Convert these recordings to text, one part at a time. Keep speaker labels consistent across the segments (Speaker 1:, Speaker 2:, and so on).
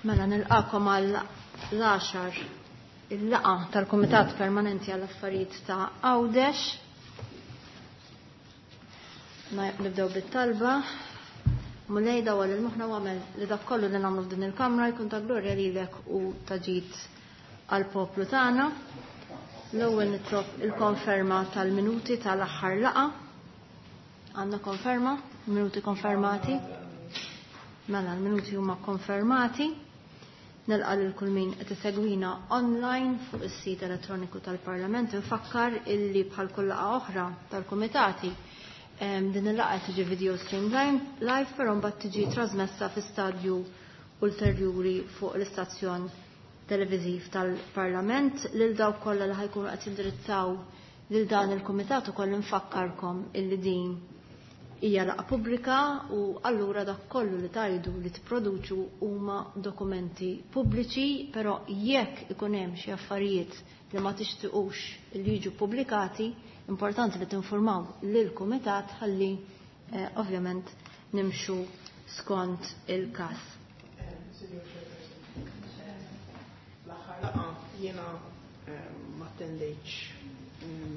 Speaker 1: Mela nilqakom għal l-għaxar il-laqgħa tal-Kumitat Permanenti għall Affarijiet ta' Għawdex. Nibdew bit-talba. Mulej dawwal il-moħħna u għamel li dak kollu li nagħmlu f'din il-kamra jkun ta' glorja lilek u ta' ġid għall-poplu tagħna. L-ewwel nitlob il-konferma tal-minuti tal-aħħar laqgħa. Għandna konferma? Minuti konfermati? Mela, l-minuti huma konfermati. Nilqa' lil kull min qed isegwina online fuq is-sit elettroniku tal-Parlament. Infakkar illi bħal kull laqgħa oħra tal-kumitati din il-laqgħa tiġi video stream live, però mbagħad tiġi trasmessa fi stadju ulterjuri fuq l-istazzjon televiżiv tal-Parlament. Lil dawk kollha li ħajkunu qed jindirizzaw lil dan il-kumitat ukoll infakkarkom illi din hija laqgħa pubblika u allura dak kollu li tajdu li tipproduċu huma dokumenti pubbliċi, però jekk ikun hemm xi affarijiet li ma tixtiqux li jiġu pubblikati, importanti li tinformaw lill-kumitat ħalli eh, ovvjament nimxu skont il-każ.
Speaker 2: L-aħħar laqgħa jiena eh, ma attendejtx,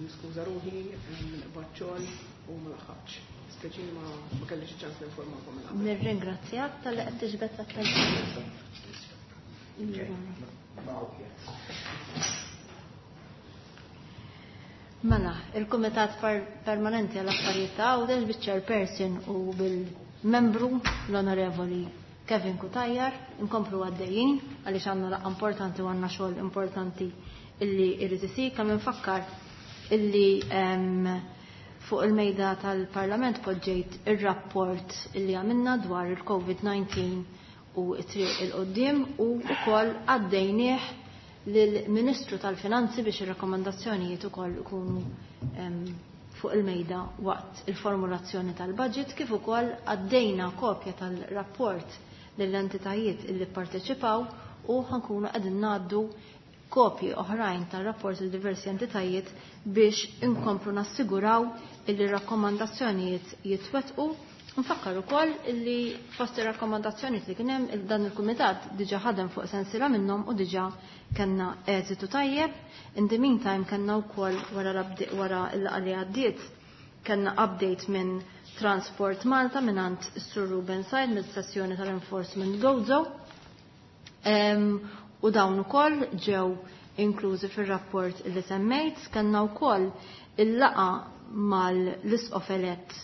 Speaker 2: niskuża ruħi, nqbad xogħol u ma laħaqx. Speċi ma kellix ċans ninformakom minn qabel.
Speaker 1: Nirringrazzjak talli qed tiġbed l-attenzjoni. Mela, il-Kumitat Permanenti għall Affarijiet ta' Għawdex biċ-Chairperson u bil-membru l-Onorevoli Kevin Cutajar inkomplu għaddejjin għaliex għandna laqgħa importanti u għandna xogħol importanti illi jrid isir. Kemm infakkar illi fuq il-mejda tal-Parlament poġġejt ir-rapport illi għamilna dwar il-COVID-19 u t-triq il-qoddim u wkoll għaddejnieh lill-Ministru tal-Finanzi biex ir-rakkomandazzjonijiet ukoll ikunu fuq il-mejda waqt il-formulazzjoni tal-budget kif ukoll għaddejna kopja tal-rapport lill-entitajiet illi pparteċipaw u ħankunu qegħdin ngħaddu kopji oħrajn tar-rapport lil diversi entitajiet biex inkomplu nassiguraw illi rakkomandazzjonijiet jitwettqu. Nfakkar ukoll illi fost ir-rakkomandazzjonijiet li kien hemm dan il-kumitat diġà ħadem fuq sensiela minnhom u diġà kellna eżitu tajjeb. In the meantime kellna wkoll wara wara l-laqgħa li għaddiet kellna update minn Transport Malta mingħand is-Sur Ruben Said mill-sessjoni tal-Enforcement Gozo. U dawn ukoll ġew inklużi fir-rapport li semmejt. Kellna wkoll il-laqgħa mal-Isqof elett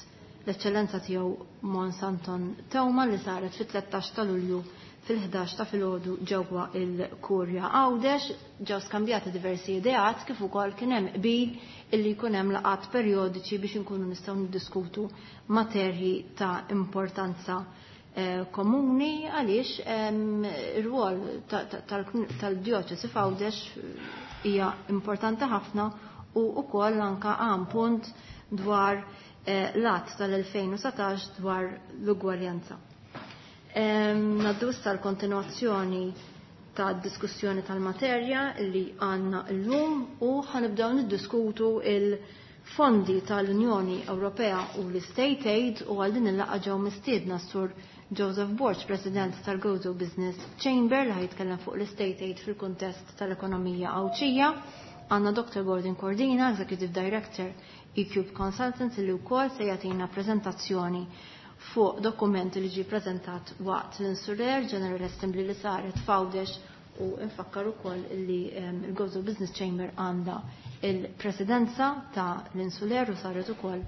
Speaker 1: l-Eċċellenza Tiegħu Mons Anton Teuma li saret fit-13 ta' Lulju fil-11 ta' filgħodu ġewwa il-Kurja Għawdex. Ġew skambjati diversi ideat kif ukoll kien hemm qbil illi jkun hemm laqgħat perjodiċi biex inkunu nistgħu niddiskutu materji ta' importanza eh, komuni għaliex ir-rwol tal-djoċesi f'Għawdex hija importanti ħafna u wkoll anka għam punt dwar eh, l-att tal-2019 dwar l-ugwaljanza. Naddu issa l-kontinuazzjoni ta' diskussjoni tal-materja li għanna l-lum u ħanibdew niddiskutu il-fondi tal-Unjoni Ewropea u l-State Aid u għal din il-laqgħa ġew mistiedna sur Joseph Borg, President tal-Gozo Business Chamber, li ħajtkellem fuq l-State Aid fil-kuntest tal-ekonomija Għawdxija. Għandna Dr. Gordon Cordina, Executive Director eCube Consultants, li wkoll se jagħtina preżentazzjoni fuq dokument li ġie preżentat waqt l-Insular General Assembly li saret f'Għawdex u nfakkar ukoll li il-Gozo Business Chamber għandha il-presidenza ta' l-Insular u saret ukoll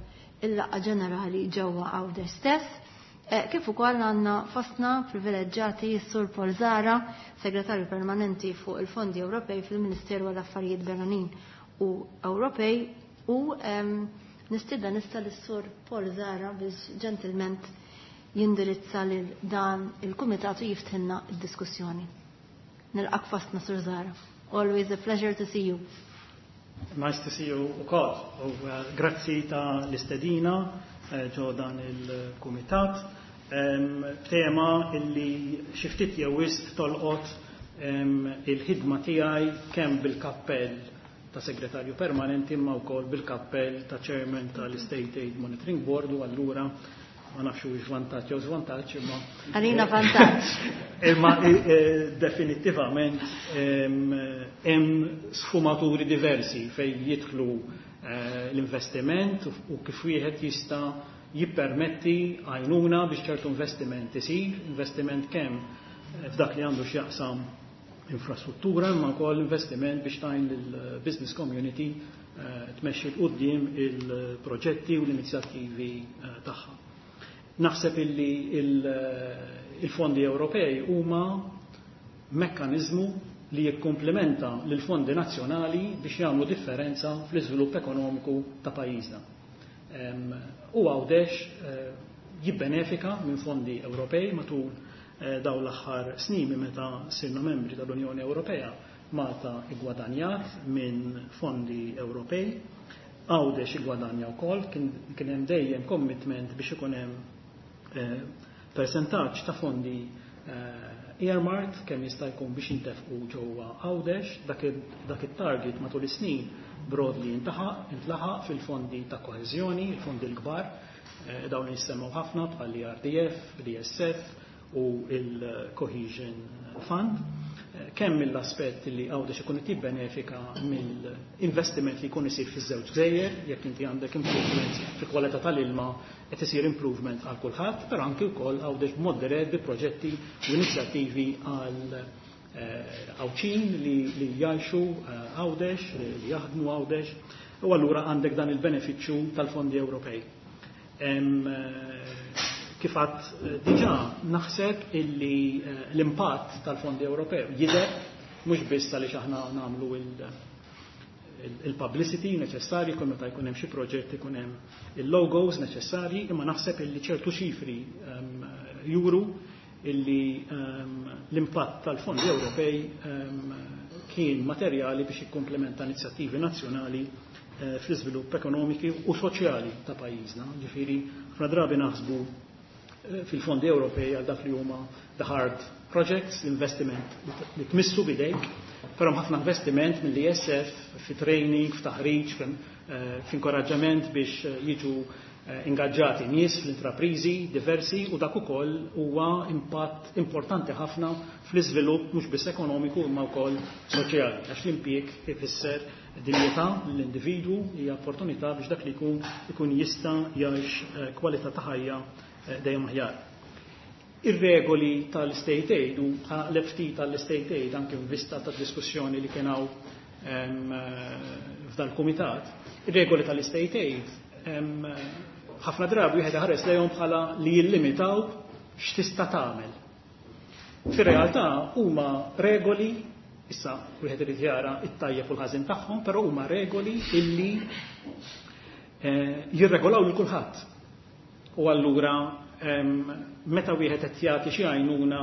Speaker 1: il-laqgħa ġenerali ġewwa Għawdex stess. Eh, kif ukoll għandna fostna privileġġjati s-Sur Paul Zara, Segretarju Permanenti fuq il-Fondi Ewropej fil-Ministeru għall-Affarijiet Barranin u Ewropej u nistieden nista lis-Sur Paul Zara biex ġentilment jindirizza lil dan il-kumitat u jiftħilna d-diskussjoni. Nilqak fostna Sur Zara. Always a pleasure to see you.
Speaker 3: Nice to see you ukoll. U eh, grazzi ta' l-istedina eh, ġo dan il-kumitat. Tema illi xi ftit jew wisq tolqot il-ħidma tiegħi kemm bil-kappell ta' segretarju permanenti imma wkoll bil-kappell ta' chairman tal-State Aid Monitoring Board u allura Ma nafx hux vantaġġ jew żvantaġġ imma.
Speaker 1: Għalina vantaġġ.
Speaker 3: Imma definittivament hemm sfumaturi diversi fejn jidħlu l-investiment u kif wieħed jista' jippermetti għajnuna biex ċertu investiment isir, investiment kemm f'dak li għandu x'jaqsam infrastruttura imma wkoll investiment biex tgħin lill-business community tmexxi 'l quddiem il-proġetti u l-inizjattivi tagħha. Naħseb illi il-fondi Ewropej huma mekkaniżmu li jikkumplementa lill-fondi nazzjonali biex jagħmlu differenza fl-iżvilupp ekonomiku ta' pajjiżna. U Għawdex jibbenefika minn fondi Ewropej matul dawn l-aħħar snin minn meta sirna membri tal-Unjoni Ewropea. Malta iggwadanjat minn fondi Ewropej, Għawdex iggwadanja wkoll, kien hemm dejjem commitment biex ikun hemm persentaġġ ta' fondi earmarked kemm jista' jkun biex jintefqu ġewwa Għawdex, dak it-target matul is-snin broadly intlaħaq fil-fondi ta' koeżjoni, il-fondi l-kbar, dawn li jissemmew ħafna bħal l-ERDF, l-ESF u il-Cohesion Fund. Kemm mill-aspett li Għawdex ikun qed jibbenefika mill-investiment li jkun isir fiż-żewġ gżejjer, jekk inti għandek improvement fil-kwalità tal-ilma qed isir improvement għal kulħadd, però anki wkoll Għawdex b'mod dirett bi proġetti u inizjattivi għal Għawdxin li jgħixu Għawdex, li jaħdmu Għawdex, u allura għandek dan il-benefiċċju tal-fondi Ewropej. Kif għadt diġà, naħseb illi l-impatt tal-fondi Ewropew jidher mhux biss għaliex aħna nagħmlu il-publicity neċessarji kull meta jkun hemm xi proġett ikun hemm il-logos neċessarji, imma naħseb illi ċertu ċifri juru illi l-impatt tal-fondi Ewropej kien materjali biex jikkomplementa inizjattivi nazzjonali fl-iżvilupp ekonomiki u soċjali ta' pajjiżna. Ġifieri ħafna drabi naħsbu fil-fondi Ewropej għal dak li huma the hard projects, l-investiment li tmissu bidejk, però ħafna investiment mill-ESF fi training, f'taħriġ, f'inkoraġġament biex jiġu ingaġġati nies fl-intraprizi diversi, u dak ukoll huwa impatt importanti ħafna fl-iżvilupp mhux biss ekonomiku imma wkoll soċjali, għax l-impjieg ifisser dinjità lill-individwu, hija opportunità biex dak li jkun ikun jista' jgħix kwalità ta' ħajja dejjem aħjar. Ir-regoli tal-state aid, u ħanaqleb ftit tal-state aid anke f'vista ta' diskussjoni li kien hawn f'dal-kumitat, ir-regoli tal-state aid ħafna drabi wieħed iħares lejhom bħala li jillimitaw x'tista' tagħmel. Fir-realtà huma regoli, issa wieħed irid jara t-tajjeb u l-ħażin tagħhom, però huma regoli illi jirregolaw lil kulħadd. U allura meta wieħed qed jagħti xi għajnuna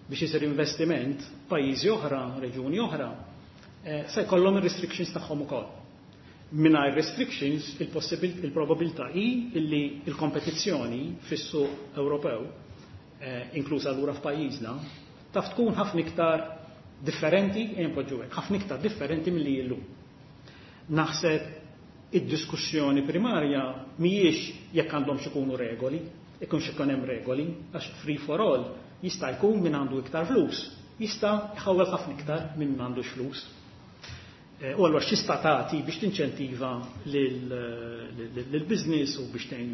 Speaker 3: biex isir investiment, pajjiżi oħra, reġjuni oħra, se jkollhom ir-restrictions tagħhom ukoll. Mingħajr restrictions, il-probabilità hi illi il-kompetizzjoni fis-suq Ewropew, inklusa allura f'pajjiżna, taf tkun ħafna iktar differenti, npoġġu hekk, ħafna iktar differenti milli illum. Naħseb id-diskussjoni primarja mhijiex jekk għandhom ikunu regoli, ikunx ikun hemm regoli, għax free for all jista' jkun min għandu iktar flus, jista' jħawwel ħafna iktar minn m'għandux flus. U allura x'tista' tagħti biex tinċentiva lill-business u biex tgħin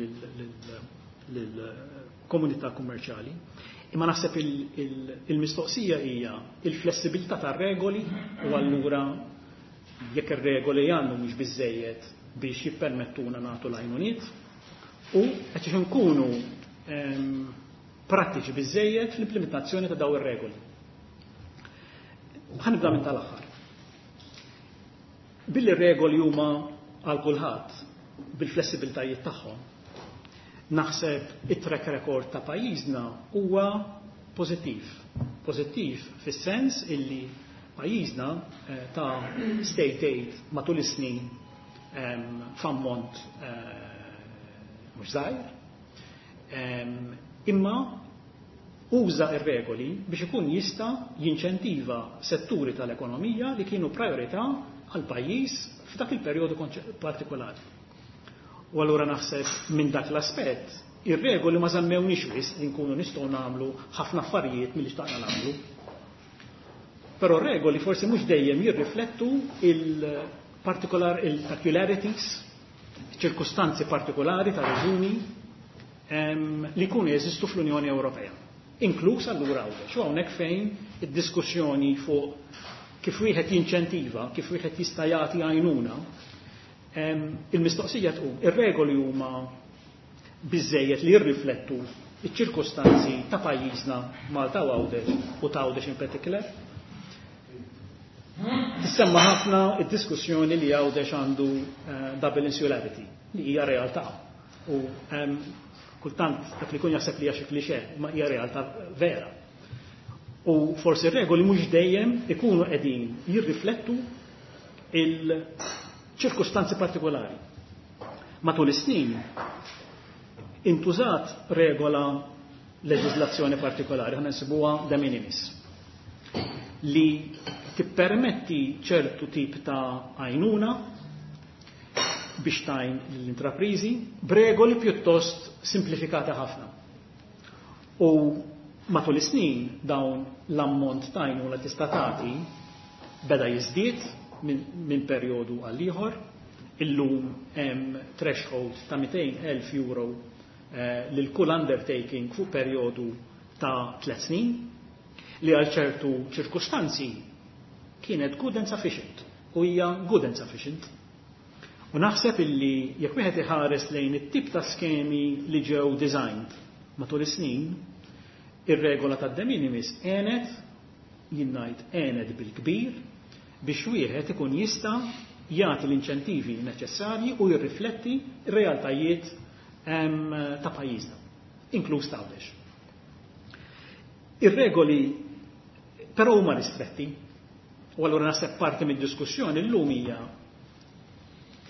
Speaker 3: lill-komunità kummerċjali. Imma naħseb il-mistoqsija hija il-flessibilità tar-regoli, u allura jekk ir-regoli għandhom mhux biżejjed biex jippermettuna nagħtu l-għajnuniet, u qed nkunu prattiċi biżejjed fl-implementazzjoni ta' daw ir-regoli. Ħa nibda minn tal-aħħar. Billi regoli huma għal kulħadd bil-flessibiltajiet tagħhom, naħseb it-track record ta' pajjiżna huwa pożittiv. Pożittiv fis-sens illi pajjiżna ta' state aid matul is-snin f'ammont mhux żgħir, imma uża ir-regoli biex ikun jista' jinċentiva setturi tal-ekonomija li kienu priorità għal pajjiż f'dak il-perjodu partikolari. U allura naħseb minn dak l-aspett Ir-regoli ma żammewniex wisq li nkunu nistgħu nagħmlu ħafna affarijiet milli xtaqna nagħmlu. Però regoli forsi mhux dejjem jirriflettu il-particular il-peculiarities, ċirkustanzi partikolari ta' reġuni li jkunu jeżistu fl-Unjoni Ewropea. Inkluż allura Għawdex. U hawnhekk fejn id-diskussjoni fuq kif wieħed jinċentiva, kif wieħed jista' jagħti għajnuna, il-mistoqsija tqum, ir-regoli huma biżejjed li jirriflettu iċ-ċirkustanzi ta' pajjiżna Malta u Għawdex u ta' Għawdex in particular? Tissemma ħafna id-diskussjoni li Għawdex għandu double insularity, li hija realtà. U kultant dak li jkun jaħseb li hija xi cliché, ma hija realtà vera. U forsi regoli mhux dejjem ikunu qegħdin jirriflettu il-ċirkustanzi partikolari. Matul is-snin intużat regola leġislazzjoni partikolari, ħana nsibuha de minimis, li tippermetti ċertu tip ta' għajnuna biex tgħin l-intraprizi b'regoli pjuttost simplifikati ħafna. U matul is-snin dawn l-ammont ta' għajnuna tista' tagħti beda jiżdied minn perjodu għal ieħor. Illum hemm threshold ta' 200,000 euro lil kull undertaking fuq perjodu ta' 3 snin li għal ċertu ċirkustanzi kienet good and sufficient u hija good and sufficient. U naħseb illi jekk wieħed iħares lejn it-tip ta' skemi li ġew designed matul is-snin, ir-regola tad-de minimis għenet, jien ngħid għenet bil-kbir, biex wieħed ikun jista' jagħti l-inċentivi neċessarji u jirrifletti r-realtajiet ta' pajjiżna, inkluż ta' Għawdex. Ir-regoli però huma ristretti, u allura naħseb parti mid-diskussjoni llum hija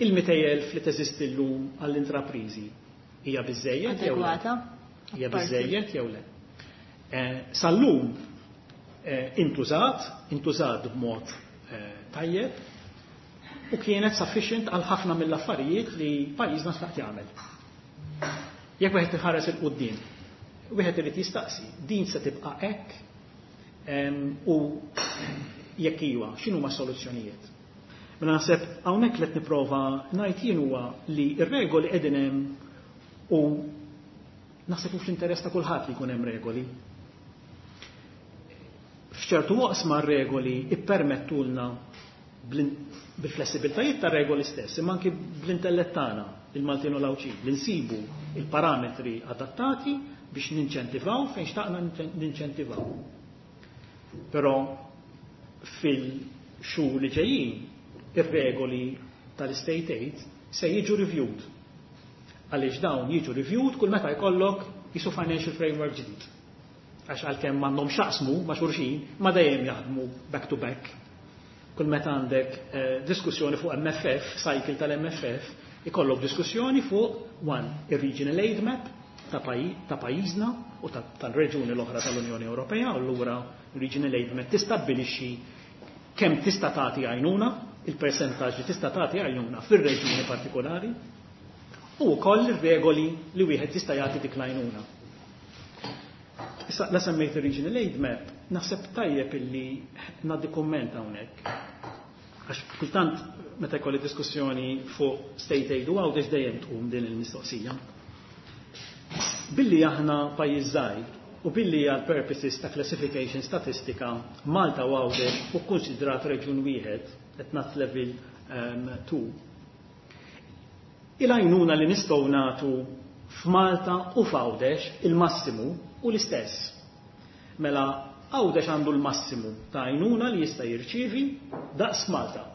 Speaker 3: il-200,000 li teżisti llum għall-intrapriżi hija biżejjed jew le?
Speaker 1: Adegwata?
Speaker 3: Hija biżejjed jew le? Sal-lum intużat b'mod tajjeb u kienet sufficient għal ħafna mill-affarijiet li pajjiżna xtaqt jagħmel. Jekk wieħed iħares il quddiem, wieħed irid jistaqsi, din se tibqa' hekk u jekk iwa, x'inhuma s-soluzzjonijiet? Mela naħseb hawnhekk li qed nipprova ngħid jien huwa li r-regoli qegħdin hemm u naħseb hu fl-interess ta' kulħadd li jkun hemm regoli. F'ċertu waqsma r-regoli ippermettulna bil-flessibiltajiet ta' regoli stess, imma anki bl-intellett tagħna, il-Maltin u l-Għawdxin, li nsibu il-parametri adattati biex ninċentivaw fejn xtaqna ninċentivaw. Però fil-xhur li ġejjin ir-regoli tal-state aid se jiġu reviewed. Għaliex dawn jiġu reviewed kull meta jkollok jisu financial framework ġdid. Għax għalkemm m'għandhom x'jaqsmu ma' xulxin, ma dejjem jaħdmu back to back. Kull meta għandek diskussjoni fuq MFF, cycle tal-MFF, ikollok diskussjoni fuq one, ir-regional aid map ta' pajjiżna u tal-reġuni l-oħra tal-Unjoni Ewropea, u allura regional aid map tistabbilixxi kemm tista' tagħti għajnuna, il-persentaġġ li tista' tagħti għajnuna fir-reġjuni partikolari, u wkoll ir-regoli li wieħed jista' jagħti dik l-għajnuna. Issa la semmejt ir-regional aid map, naħseb tajjeb illi ngħaddi kumment hawnhekk. Għax kultant meta jkolli diskussjoni fuq state aid u Għawdex dejjem tqum din il-mistoqsija. Billi aħna pajjiż żgħir u billi għal purposes ta' classification statistika Malta u Għawdex u konsidrat reġjun wieħed at NUTS level 2. Il-għajnuna li nistgħu nagħtu f'Malta u f'Għawdex il-massimu u l-istess. Mela Għawdex għandu l-massimu ta' għajnuna li jista' jirċievi daqs Malta.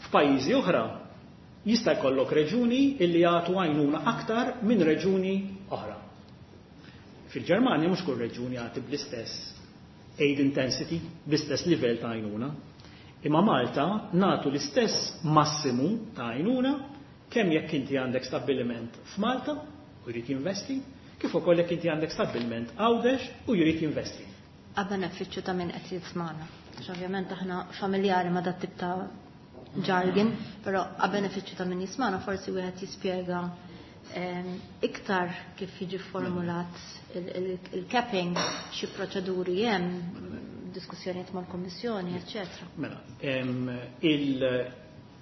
Speaker 3: F'pajjiżi oħra jista' jkollok reġuni illi jagħtu għajnuna aktar minn reġuni oħra. Fil-Ġermanja mhux kull reġuni jagħti bl-istess aid intensity, bl-istess livell ta' għajnuna. Imma Malta nagħtu l-istess massimu ta' għajnuna kemm jekk inti għandek stabbiliment f'Malta u jrid jinvesti, kif ukoll jekk inti għandek stabbiliment Għawdex u jrid jinvesti.
Speaker 1: A benefiċċju ta' min qed jismana. Għax ovvjament aħna familjari ma' dat tip ta' jargon, però a benefiċċju ta' min jismana forsi wieħed jispjega Iktar kif jiġi formulat il-capping, xi proċeduri hemm, diskussjonijiet mal-Kommissjoni, eċċetera.
Speaker 3: Mela,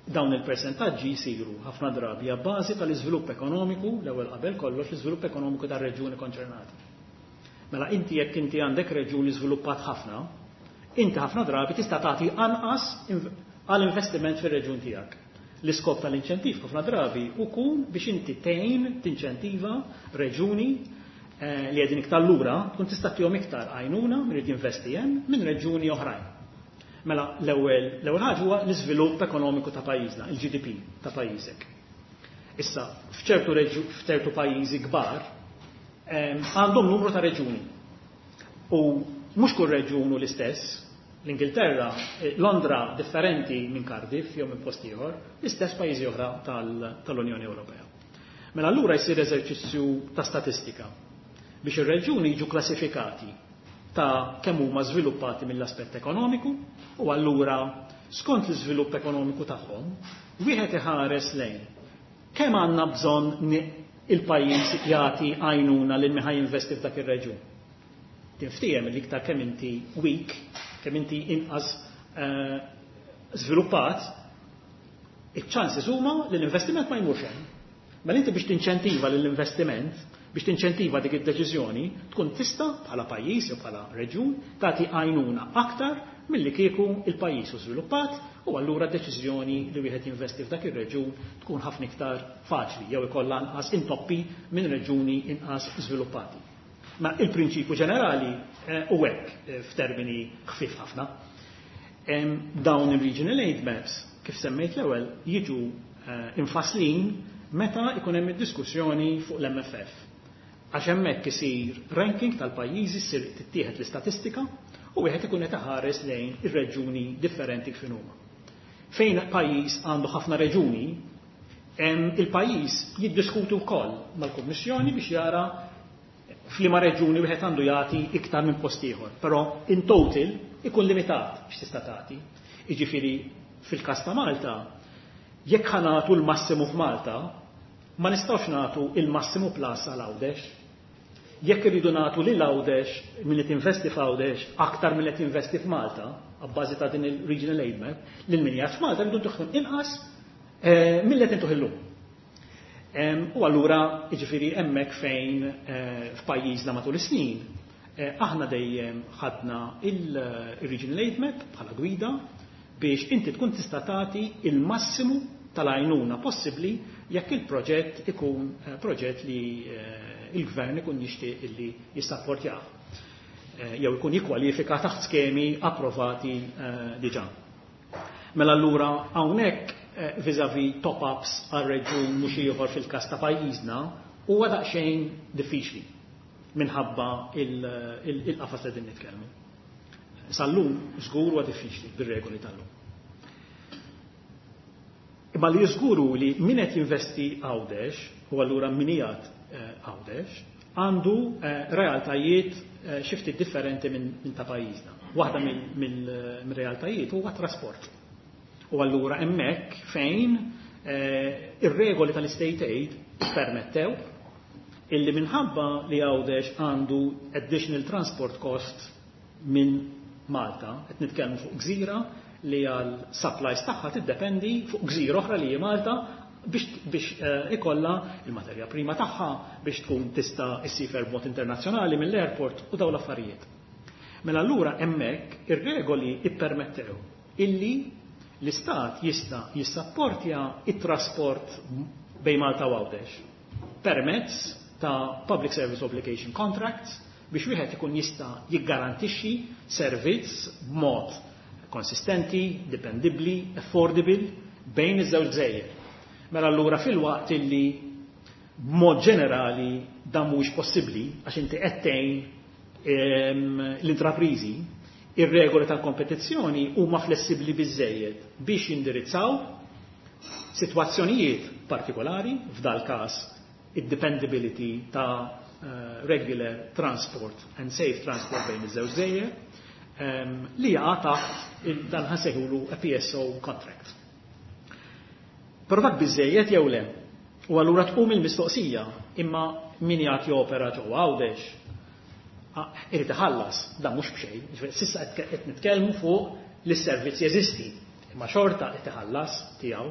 Speaker 3: dawn il-persentaġġi jsiru ħafna drabi a bażi tal-iżvilupp ekonomiku, l-ewwel qabel kollox l-iżvilupp ekonomiku tar-reġjuni konċernati. Mela inti jekk inti għandek reġjuni żviluppat ħafna, inti ħafna drabi tista' tagħti anqas għal investiment fir-reġjun tiegħek. L-iskop tal-inċentiv ħafna drabi ukun biex inti tgħin tinċentiva reġuni li qegħdin iktar lura tkun tista' tihom iktar għajnuna min irid jinvesti hemm minn reġuni oħrajn. Mela l-ewwel ħaġa huwa l-iżvilupp ekonomiku ta' pajjiżna, il-GDP ta' pajjiżek. Issa, f'ċertu pajjiżi kbar għandhom numru ta' reġuni. U mhux kull reġun hu l-istess. L-Ingilterra, Londra differenti minn Cardiff jew minn post ieħor, l-istess pajjiżi oħra tal-Unjoni Ewropea. Mela allura jsir eżerċizzju ta' statistika biex ir-reġuni jiġu klassifikati ta' kemm huma żviluppati mill-aspett ekonomiku u allura skont l-iżvilupp ekonomiku tagħhom wieħed iħares lejn kemm għandna bżonn il-pajjiż jagħti għajnuna lil min ħa jinvesti f'dak ir-reġjun. Tinftiehem li iktar kemm inti weak, kemm inti inqas żviluppat, iċ-chances huma li l-investiment ma jmurx hemm. Mela inti biex tinċentiva lill-investiment, biex tinċentiva dik id-deċiżjoni, tkun tista' bħala pajjiż jew bħala reġjun tagħti għajnuna aktar milli kieku il-pajjiż hu żviluppat u allura deċiżjoni li wieħed jinvesti f'dak ir-reġjun tkun ħafna iktar faċli jew ikollha anqas intoppi minn reġjuni inqas żviluppati. Ma il-prinċipju ġenerali u hekk f'termini ħfief ħafna. Dawn il-regional aid maps, kif semmejt l-ewwel, jiġu infaslin meta ikun hemm id-diskussjoni fuq l-MFF. Għax hemmhekk isir ranking tal-pajjiżi, ssir tittieħed l-istatistika u wieħed ikun qed iħares lejn ir-reġuni differenti kif huma. Fejn pajjiż għandu ħafna reġuni, il-pajjiż jiddiskutu wkoll mal-Kummissjoni biex jara f'liema reġuni wieħed għandu jagħti iktar minn post ieħor, però in total ikun limitat biex tista' tagħti. Jiġifieri fil-każ ta' Malta, jekk ħa nagħtu l-massimu f'Malta, ma nistgħux nagħtu il-massimu plus għal Għawdex. Jekk irridu nagħtu lil Għawdex min qed investi f'Għawdex aktar minn qed jinvesti f'Malta, abbażi ta' din il-regional aid map, lil min jgħid f'Malta rridu ntuħ inqas milli qed intuħ illum. U allura jiġifieri hemmhekk fejn f'pajjiżna matul is-snin aħna dejjem ħadna il-regional aid map bħala gwida biex inti tkun tista' tagħti il-massimu tal-għajnuna possibbli jekk il-proġett ikun proġett li il-gvern ikun jixtieq illi jissapportjah jew ikun jikkwalifika taħt skemi approvati diġà. Mela allura hawnhekk vis-à-vis top-ups għal reġjun mhux ieħor fil-każ ta' pajjiżna huwa daqsxejn diffiċli minħabba il-qafas li din nitkellmu. Sal-lum żgur huwa diffiċli bir-regoli tal-lum. Imma li żguru li min qed jinvesti Għawdex, u allura min qiegħed Għawdex, għandu realtajiet xi ftit differenti minn ta' pajjiżna. Waħda mill-realtajiet huwa trasport. U allura hemmhekk fejn ir-regoli tal-state aid permettew illi minħabba li Għawdex għandu additional transport cost minn Malta, qed nitkellmu fuq gżira li għal supplies tagħha tiddependi fuq gżira oħra li hi Malta biex ikollha il-materja prima tagħha biex tkun tista' issifer b'mod internazzjonali mill-airport u dawn l-affarijiet. Mela allura hemmhekk ir-regoli ippermettew illi l-istat jista' jissapportja it-trasport bejn Malta u Għawdex permezz ta' Public Service Obligation Contracts biex wieħed ikun jista' jiggarantixxi servizz b'mod konsistenti, dipendibbli, affordable bejn iż-żewġ gżejjer. Mela allura fil-waqt illi b'mod ġenerali dan mhuwiex possibbli għax inti qed tgħin l-intrapriżi, ir-regoli tal-kompetizzjoni huma flessibbli biżejjed biex jindirizzaw sitwazzjonijiet partikolari, f'dal każ id-dependability ta' regular transport and safe transport bejn iż-żewġ gżejjer, li jaqa' taħt dan ħa nsejħulu a PSO contract. Però dak biżejjed jew le? U allura tqum il-mistoqsija, imma min jagħti opera ġewwa Għawdex irid iħallas, dan mhux b'xejn. Ġifieri s'issa qed nitkellmu fuq li s-servizz jeżisti, imma xorta qed iħallas tiegħu.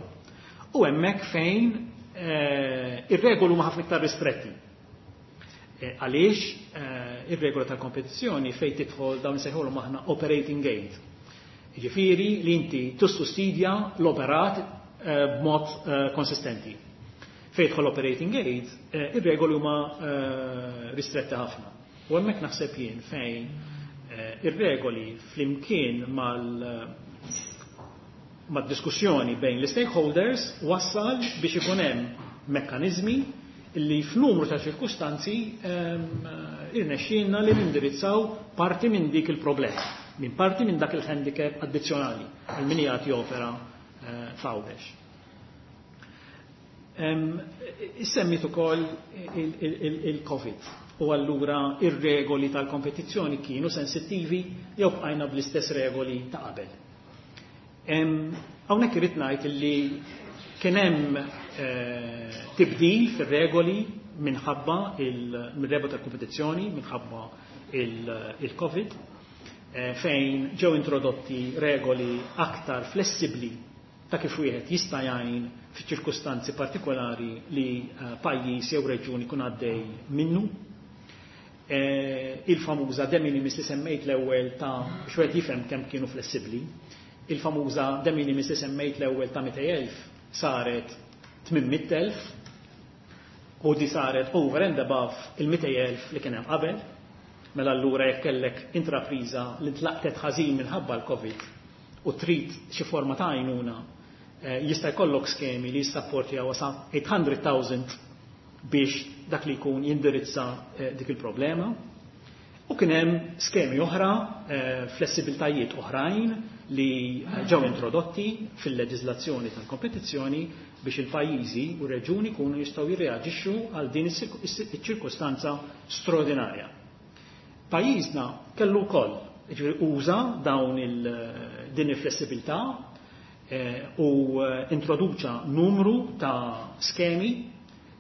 Speaker 3: U hemmhekk fejn ir-regoli huma ħafna iktar ristretti. Għaliex ir-regola tal-kompetizzjoni fejn tidħol dawn insejħulhom aħna operating aid. Jiġifieri li inti tissussidja l-operat b'mod konsistenti. Fejn jidħol operating aid, ir-regoli huma ristretti ħafna. U hemmhekk naħseb jien fejn ir-regoli flimkien mal mad-diskussjoni bejn l-stakeholders wassal biex ikun hemm mekkaniżmi li f'numru ta' ċirkustanzi irnexxielna li nindirizzaw parti minn dik il-problema, minn parti minn dak il-handicap addizzjonali għal min jagħti opera f'Għawdex. Issemmit ukoll il-Covid u allura ir-regoli tal-kompetizzjoni kienu sensittivi jew bqajna bl-istess regoli ta' qabel. Hawnhekk irid ngħid li kien hemm tibdil fir-regoli minħabba il-regola tal-kompetizzjoni minħabba il-Covid, fejn ġew introdotti regoli aktar flessibbli ta' kif wieħed jista' jgħin f'ċirkustanzi partikolari li pajjiż jew reġjun ikun għaddej minnu. Il-famuża de minimis li semmejt l-ewwel ta' biex wieħed jifhem kemm kienu flessibbli, il-famuża de minimis li semmejt l-ewwel ta' 200,000 saret 800,000 u di saret over and above il-200,000 li kien hemm qabel. Mela allura jekk kellek intrapriża li tlaqtet ħażin minħabba l-Covid u trid xi forma ta' għajnuna, jista' jkollok skemi li jissapportjaw sa 800,000 biex dak li jkun jindirizza dik il-problema. U kien hemm skemi oħra, flessibiltajiet oħrajn li ġew introdotti fil-leġiżlazzjoni tal-kompetizzjoni biex il-pajjiżi u r-reġuni jkunu jistgħu jirreaġixxu għal din iċ-ċirkustanza straordinarja. Pajjiżna kellu wkoll, jiġifieri uża dawn din il-flessibilità u introduċa numru ta' skemi,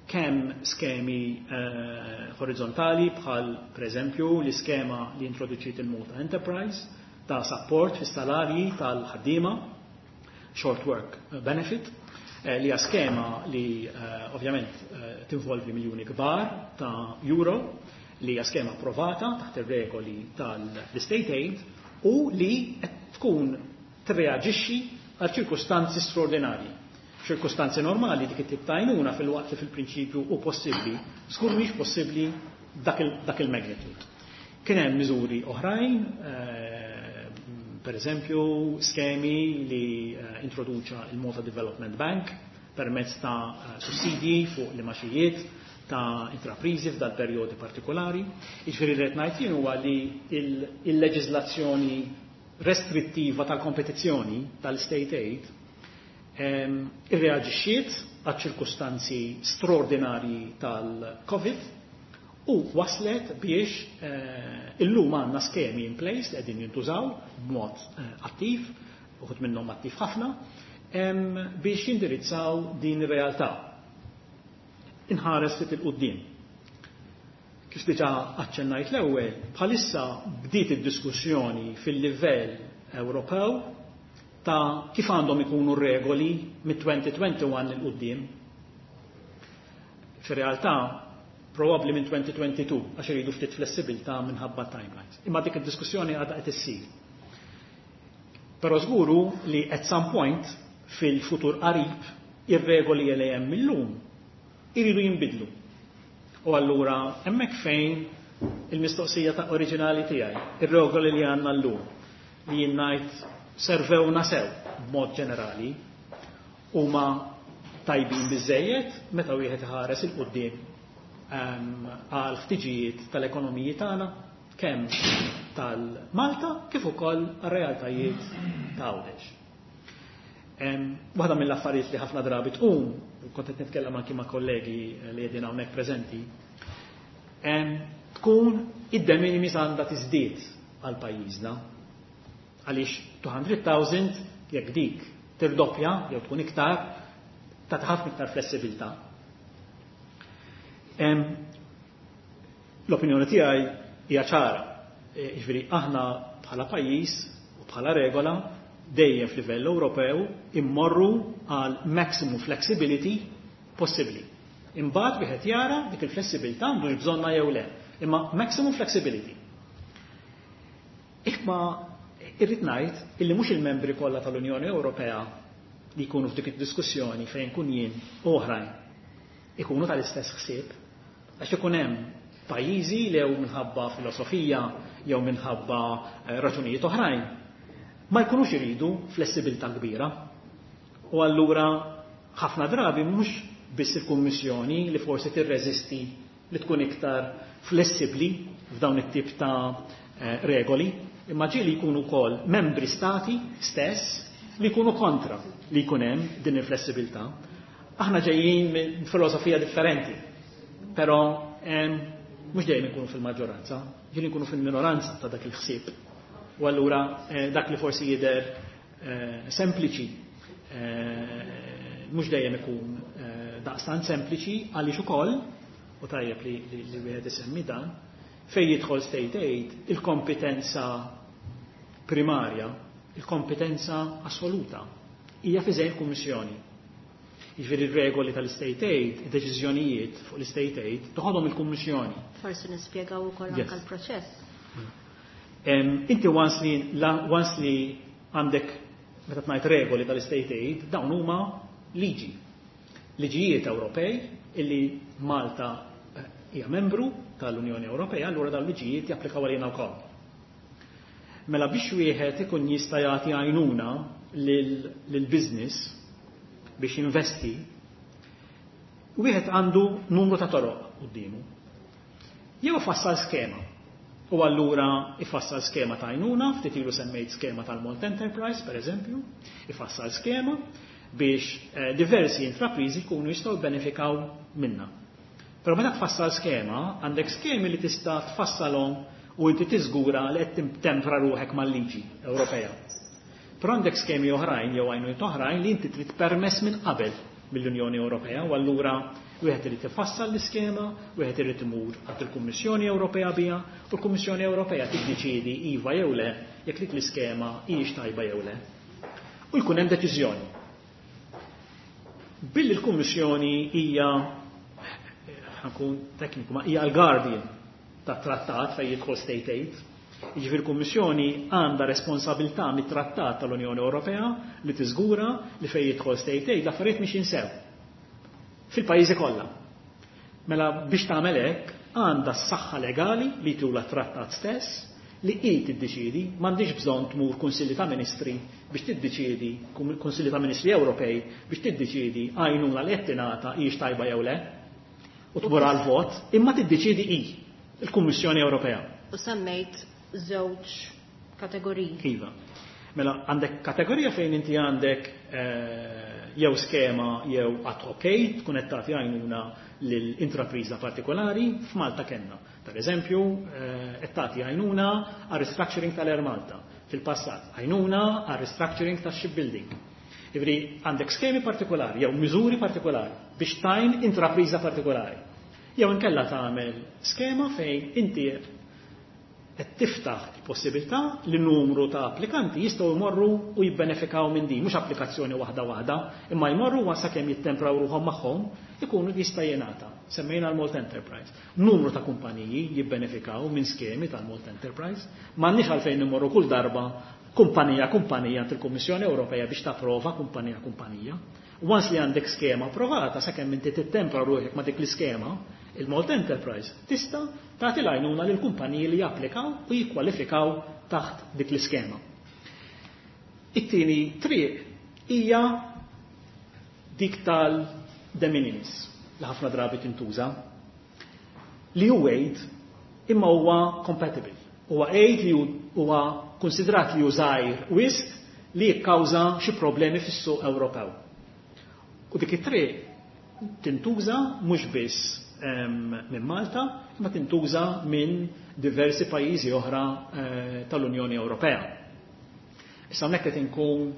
Speaker 3: kemm skemi orizzontali bħal pereżempju l-iskema li introduċiet il-Malta Enterprise ta' support fis-salarji tal-ħaddiema, short work benefit, li hija skema li ovvjament tinvolvi miljuni kbar ta' euro, li hija skema approvata taħt ir-regoli tal-State Aid u li qed tkun tirreaġixxi għal ċirkustanzi straordinarji. Ċirkustanzi normali dik it-tip ta' għajnuna fil-waqt li fil-prinċipju hu possibbli, żgur mhix possibbli dak il-magnitude. Kien hemm miżuri oħrajn, per eżempju skemi li introduċa il-Malta Development Bank permezz ta' sussidji fuq l-imaxijiet ta' intraprizi f'dal perjodi partikolari. Jiġifieri li qed ngħid jien huwa li il-leġiżlazzjoni restrittiva tal-kompetizzjoni tal-State Aid irreaġixxiet għal ċirkustanzi straordinarji tal-Covid u waslet biex illum għandna skemi in place li qegħdin jintużaw b'mod attiv, uħud minnhom attiv ħafna, biex jindirizzaw din ir-realtà. Inħares ftit il-quddiem. Kif diġà aċċennajt l-ewwel, bħalissa bdiet id-diskussjoni fil-livell Ewropew ta' kif għandhom ikunu regoli mit-2021 il quddiem. Fir-realtà, probabbli minn 2022, għax iridu ftit flessibilità minħabba timelines. Imma dik id-diskussjoni għadha qed issir. Però żguru li at some point fil-futur qarib ir-regoli li hemm illum iridu jinbidlu. U allura hemmhekk fejn il-mistoqsija ta' oriġinali tiegħi, ir-regoli li għandna llum li jien ngħid servewna sew b'mod ġenerali huma tajbin biżejjed meta wieħed iħares il quddiem għal ħtiġijiet tal-ekonomiji tagħna kemm tal-Malta kif ukoll għar-realtajiet ta' Għawdex. Waħda mill-affarijiet li ħafna drabi tqum, u kont qed nitkellem anki ma' kollegi li qegħdin hawnhekk preżenti, tkun id-de minimis għandha tiżdied għal pajjiżna. Għaliex 200,000 jekk dik tirdoppja jew tkun iktar, ta' ħafna iktar flessibilità. L-opinjoni tiegħi hija ċara. Jiġifieri aħna bħala pajjiż u bħala regola dejjem f'livell Ewropew immorru għal maximum flexibility possibbli. Imbagħad wieħed jara dik il-flessibilità għandu bżonna jew le. Imma maximum flexibility. Imma irrid ngħid illi mhux il-membri kollha tal-Unjoni Ewropea li jkunu f'dik id-diskussjoni fejn kun jien u oħrajn ikunu tal-istess ħsieb, għax ikun hemm pajjiżi li jew minħabba filosofija jew minħabba raġunijiet oħrajn ma jkunux iridu flessibilità kbira. U allura ħafna drabi mhux biss il-Kummissjoni li forsi tirreżisti li tkun iktar flessibbli f'dawn it-tip ta' regoli, imma ġieli jkunu wkoll membri stati stess li jkunu kontra li jkun hemm din il-flessibilità. Aħna ġejjin minn filosofija differenti, però mhux dejjem ikunu fil-maġġoranza, ġieli nkunu fil-minoranza ta' dak il-ħsieb. U allura dak li forsi jidher sempliċi mhux dejjem ikun daqstant sempliċi, għaliex ukoll, u tajjeb li wieħed isemmi dan, fejn jidħol state aid, il-kompetenza primarja, il-kompetenza assoluta, hija f'idejn il-Kummissjoni. Jiġifieri r-regoli tal-state aid, id-deċiżjonijiet fuq l-state aid, toħodhom il-Kummissjoni.
Speaker 1: Forsi nispjegaw ukoll anke l-proċess.
Speaker 3: Inti once li għandek, meta tgħid regoli tal-state aid, dawn huma liġi. Liġijiet Ewropej illi Malta hija membru tal-Unjoni Ewropea, allura dawn liġijiet japplikaw għalina wkoll. Mela biex wieħed ikun jista' jagħti għajnuna lil business biex jinvesti, wieħed għandu numru ta' toroq quddiemu. Jew ifassal skema. U allura ifassal skema ta' għajnuna, ftit ilu semmejt skema tal-Malt Enterprise, per eżempju, ifassal skema biex diversi intrapriżi jkunu jistgħu benefikaw minna. Però meta tfassal skema, għandek skemi li tista' tfassalhom u inti tiżgura li qed tempra ruħek mal-liġi Ewropea. Però għandek skemi oħrajn jew għajnuniet oħrajn li inti trid permess minn qabel mill-Unjoni Ewropea, u allura wieħed irid ifassal l-iskema, wieħed irid imur għand il-Kummissjoni Ewropea biha, u l-Kummissjoni Ewropea tiddeċiedi iva jew le jekk dik l-iskema hijiex tajba jew le. U jkun hemm deċiżjoni. Billi l-Kummissjoni hija, ħa nkun tekniku, ma hija l-guardian tat-trattat fejn jidħol state aid, jiġifieri l-Kummissjoni għandha responsabilità mit-trattat tal-Unjoni Ewropea li tiżgura li fejn jidħol state aid l-affarijiet mhix jinsew fil-pajjiżi kollha. Mela biex tagħmel hekk għandha s-saħħa legali li tula trattat stess li hi tiddeċiedi, m'għandix bżonn tmur Kunsilli ta' Ministri biex tiddeċiedi, Kunsilli ta' Ministri Ewropej biex tiddeċiedi għajnuna li qed tingħata hijiex tajba jew le, u tmur għal vot, imma tiddeċiedi hi, il-Kummissjoni Ewropea.
Speaker 1: U semmejt żewġ kategoriji.
Speaker 3: Iva. Mela għandek kategorija fejn inti għandek jew skema jew ad hoc aid, tkun qed tagħti għajnuna lil intrapriża partikolari, f'Malta kellna. Per eżempju, qed tagħti għajnuna għal restructuring tal-Air Malta. Fil-passat, għajnuna għal restructuring tax-shipbuilding. Jiġifieri għandek skemi partikolari jew miżuri partikolari biex tgħin intrapriża partikolari. Jew inkella tagħmel skema fejn inti qed tiftaħ il-possibilità li numru ta' applikanti jistgħu jmorru u jibbenefikaw minn din, mhux applikazzjoni waħda waħda, imma jmorru wa sakemm jittempraw ruħhom magħhom ikunu jista' jingħata. Semmejna l-Malt Enterprise. Numru ta' kumpaniji jibbenefikaw minn skemi tal-Malt Enterprise. M'għandniex għalfejn immorru kull darba kumpanija kumpanija għand il-Kummissjoni Ewropea biex tapprova kumpanija kumpanija. Once li għandek skema approvata, sakemm inti tittempra ruħek ma' dik l-iskema, il-Malt Enterprise tista' tagħti l-għajnuna lil kumpaniji li japplikaw u jikkwalifikaw taħt dik l-iskema. It-tieni triq hija dik tal-de minimis li ħafna drabi tintuża, li hu aid imma huwa compatible. Huwa aid li huwa konsidrat li hu żgħir wisq li jikkawża xi problemi fis-suq Ewropew. U dik it-triq tintuża mhux biss minn Malta, imma tintuża minn diversi pajjiżi oħra tal-Unjoni Ewropea. Issa hawnhekk qed inkun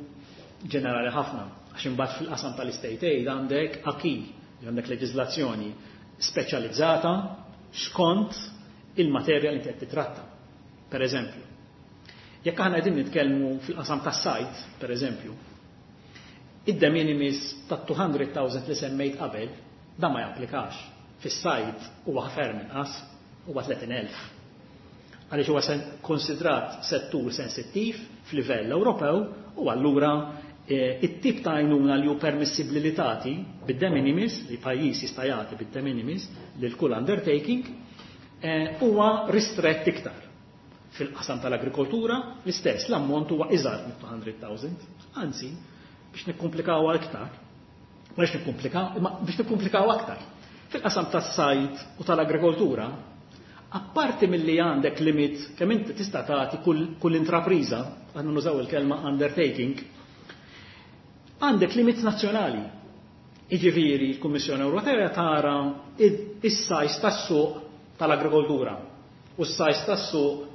Speaker 3: ġenerali ħafna, għax imbagħad fil-qasam tal-state aid għandek acquis, għandek leġiżlazzjoni speċjalizzata skont il-materja li qed titratta. Per eżempju, jekk aħna qegħdin nitkellmu fil-qasam tas-sajd, per eżempju, id-de minimis ta' 200,000 li semmejt qabel, dan ma japplikax. Fis-sajd huwa ferm inqas, huwa 30,000. Għaliex huwa konsidrat settur sensittiv f'livell Ewropew u allura it-tip ta' għajnuna li hu permissibbli li tagħti bid-de minimis, li pajjiż jista' jagħti bid-de minimis lil kull undertaking, huwa ristrett iktar. Fil-qasam tal-agrikoltura, l-istess, l-ammont huwa iżgħar minn 200,000. Anzi, biex nikkomplikaw aktar, biex nikkomplikaw, imma biex nikkomplikaw aktar. Fil-qasam tas-sajd u tal-agrikoltura, apparti milli għandek limit kemm inti tista' tagħti kull intrapriża, aħna nużaw il-kelma undertaking, għandek limit nazzjonali. Jiġifieri l-Kummissjoni Ewropea tara is-size tas-suq tal-agrikoltura u s-size tas-suq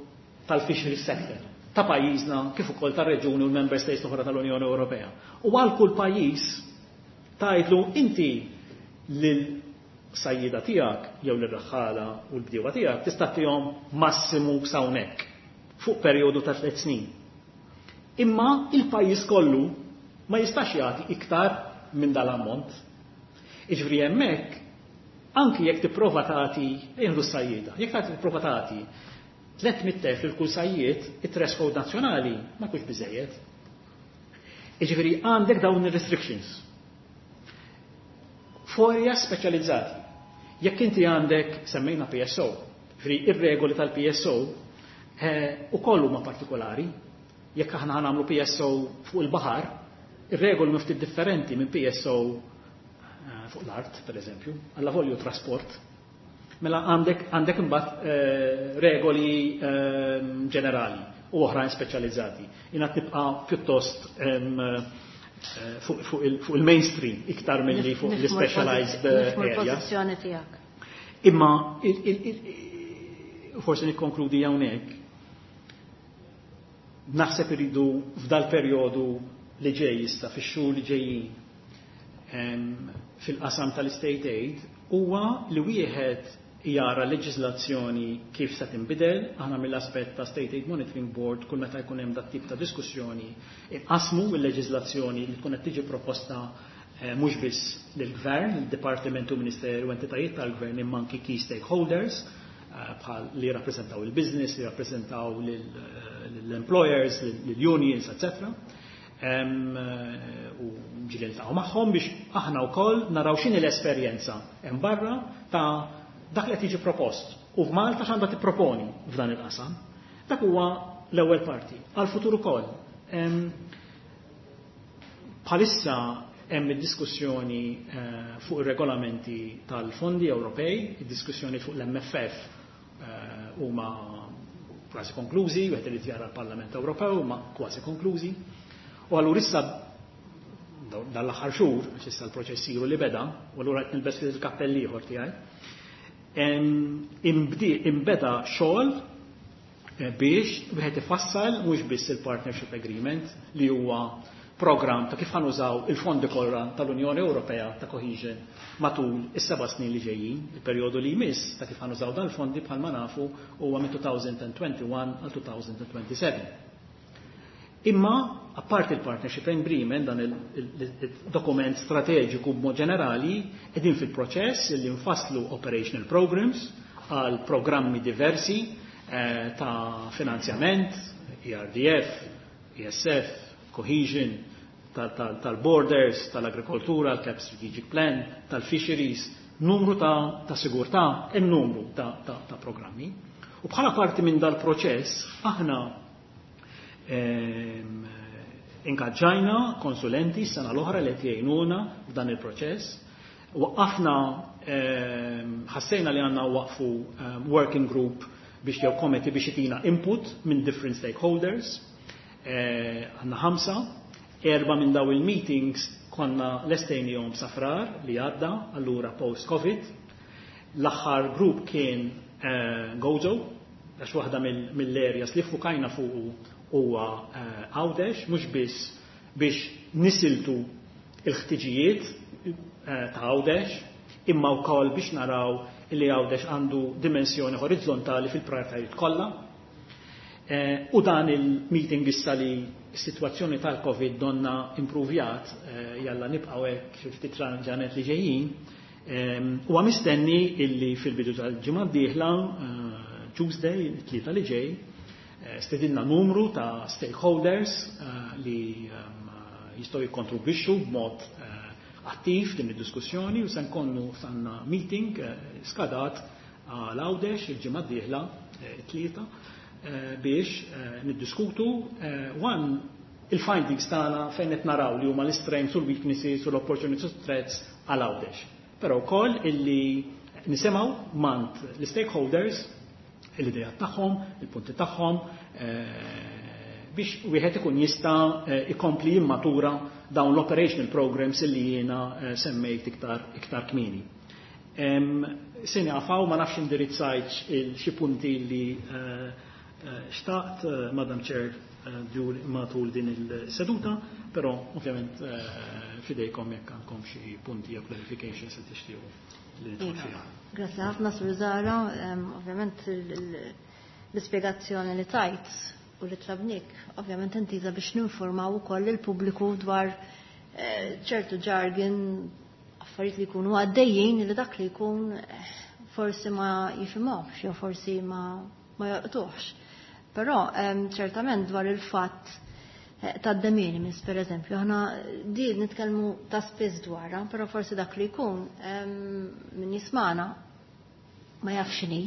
Speaker 3: tal-fisheries sector ta' pajjiżna kif ukoll tar-reġuni u l-member states oħra tal-Unjoni Ewropea. U għal kull pajjiż tgħidlu inti lil sajjida tiegħek jew lir-raħħala u l-bdiewa tiegħek tista' tihom massimu s'hawnhekk fuq perjodu ta' 3 snin. Imma il-pajjiż kollu ma jistax jagħti iktar minn dal-ammont. Jiġifieri hemmhekk anki jekk tipprova tagħti jieħdu s-sajjieda, jekk tagħti tipprova tagħti 300,000 lil kull sajjied, it-threshold nazzjonali ma jkunx biżejjed. Jiġifieri għandek dawn ir-restrictions. Forja speċjalizzati. Jekk inti għandek semmejna PSO, jiġifieri ir-regoli tal-PSO ukoll huma partikolari. Jekk aħna nagħmlu PSO fuq il-baħar, ir-regoli ftit differenti minn PSO fuq l-art, per eżempju, alla volju trasport. Mela għandek imbagħad regoli ġenerali u oħrajn speċjalizzati. Jiena tibqa' pjuttost fuq il-mainstream iktar milli fuq l-specialized area.
Speaker 1: Tiegħek.
Speaker 3: Imma forsi nikkonkludi hawnhekk. Naħseb iridu f'dal perjodu li ġej issa fix-xhur li ġejjin fil-qasam tal-state aid huwa li wieħed jara leġiżlazzjoni kif se tinbidel, aħna mill-aspett ta' State Aid Monitoring Board kull meta jkun hemm dat tip ta' diskussjoni inqasmu l-leġiżlazzjoni li tkun qed tiġi proposta mhux biss lill-gvern, il-Dipartiment u Ministeru u entitajiet tal-gvern imma anki key stakeholders bħal li jirrappreżentaw il-business, li jirrappreżentaw l-employers, l-unions, etc. U ġieli niltaqgħu magħhom biex aħna wkoll naraw x'inhi l-esperjenza hemm barra ta' dak li qed jiġi propost. U f'Malta x'għandha tipproponi f'dan il-qasam. Dak huwa l-ewwel parti. Għal-futur ukoll. Bħalissa hemm id-diskussjoni fuq ir-regolamenti tal-fondi Ewropej, id-diskussjoni fuq l-MFF huma kważi konklużi, wieħed irid jara l-Parlament Ewropew huma kważi konklużi. U allura issa dal-aħħar xhur, għax issa l-proċess ilu li beda, u allura qed nilbes il-kappell ieħor tiegħi, imbeda xogħol biex wieħed ifassal mhux biss il-Partnership Agreement li huwa program ta' kif ħanużaw il-fondi kollha tal-Unjoni Ewropea ta' Cohesion matul is-7 snin li ġejjin, il-perjodu li jmiss ta' kif ħanużaw dan il-fondi bħalma nafu huwa minn 2021 għal 2027. Imma apparti il-Partnership Agreement, dan il-dokument strateġiku b'mod ġenerali, qegħdin fil-proċess li nfasslu operational programs għal programmi diversi ta' finanzjament, ERDF, ESF, Cohesion, tal-borders, tal-agrikoltura, tal-CAP Strategic Plan, tal-fisheries, numru ta' sigurtà, hemm numru ta' programmi. U bħala parti minn dal-proċess, aħna ingaġġajna konsulenti s-sena l-oħra li qed jgħinuna f'dan il-proċess. Waqqafna, ħassejna li għandna waqfu working group biex jew committee biex itina input minn different stakeholders. Għandna 5, 4 minn daw il-meetings konna lestejnihom sa Frar li għadda, allura post-Covid. L-aħħar grupp kien Gozo, għax waħda mill-areas li fukajna fuq huwa Għawdex, mhux biss biex nisiltu il-ħtiġijiet ta' Għawdex, imma wkoll biex naraw li Għawdex għandu dimensjoni orizzontali fil-prioritajiet kollha. U dan il-meeting issa li s-sitwazzjoni tal-Covid donna improvjat, jalla nibqgħu hekk xi ftit ġranet li ġejjin, huwa mistenni illi fil-bidu tal-ġimgħa d-dieħla, Tuesday, it-Tlieta li ġej, stedinna numru ta' stakeholders li jistgħu jikkontribwixxu b'mod attiv din id-diskussjoni u se nkonnu sanna meeting skadat għal Għawdex il-ġimgħa d-dieħla, it-Tlieta, biex niddiskutu one il-findings tagħna fejn qed naraw li huma l-strengths u l-weaknesses u l-opportunities u threats għal Għawdex. Però wkoll illi nisimgħu mingħand l-stakeholders l-idea tagħhom, il-punti tagħhom, biex wieħed ikun jista' ikompli jimmatura dawn l-operational programs illi jiena semmejt iktar kmieni. Se nieqaf, ma nafx indirizzajtx xi punti li xtaqt, Madam Chair, matul din il-seduta, però ovvjament fidejkom jekk għandkom xi punti jew clarifications li tixtiequ li nidħol
Speaker 1: Iva.
Speaker 3: fiha.
Speaker 1: Grazzi ħafna, Sur Zahra. Ovvjament l-ispjegazzjoni li tajt u li tlabnik, ovvjament intiża biex ninformaw ukoll il-pubbliku dwar ċertu jargon, affarijiet li jkunu għaddejjin li dak li jkun forsi ma jifhimhomx jew forsi ma jolqtuhx. Però ċertament dwar il-fatt ta' de minimis, per eżempju, aħna di nitkellmu ta' spiss dwarha, però forsi dak li jkun min jismana ma jafx x'inhi.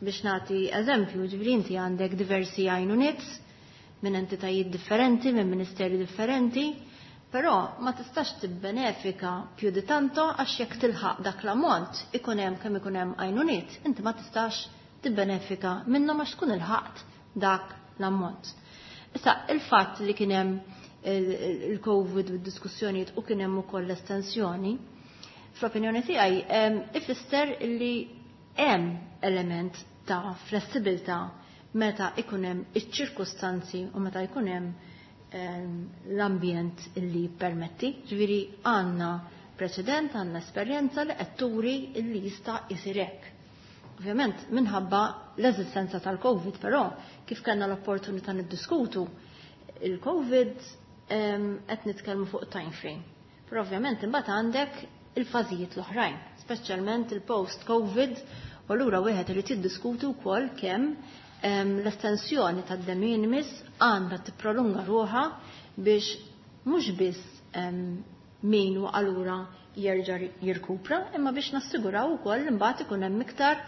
Speaker 1: Biex nagħti eżempju, ġifieri inti għandek diversi għajnuniet minn entitajiet differenti, minn ministeri differenti, però ma tistax tibbenefika più di tanto għax jekk tilħaq dak l-ammont ikun hemm kemm ikun hemm għajnuniet, inti ma tistax tibbenefika minnhom għax tkun ilħaqt dak l-ammont. Issa, il-fatt li kien hemm il-Covid u d-diskussjonijiet u kien hemm ukoll l-estensjoni, fl-opinjoni tiegħi ifisser li hemm element ta' flessibilità meta ikun hemm iċ-ċirkustanzi u meta jkun hemm l-ambjent illi permetti. Ġifieri għandna preċedent, għandna esperjenza li qed turi illi jista' jsir hekk. Ovvjament minħabba l-eżistenza tal-Covid, però kif kellna l-opportunità niddiskutu, il-Covid qed nitkellmu fuq time frame. Però ovvjament imbagħad għandek il-fażijiet l-oħrajn, speċjalment il-post-Covid, u allura wieħed irid jiddiskutu wkoll kemm l-estensjoni tad-de minimis għandha tipprolunga ruħha biex mhux biss min waqa' lura jerġa' jirkupra, imma biex nassiguraw ukoll imbagħad ikun hemm iktar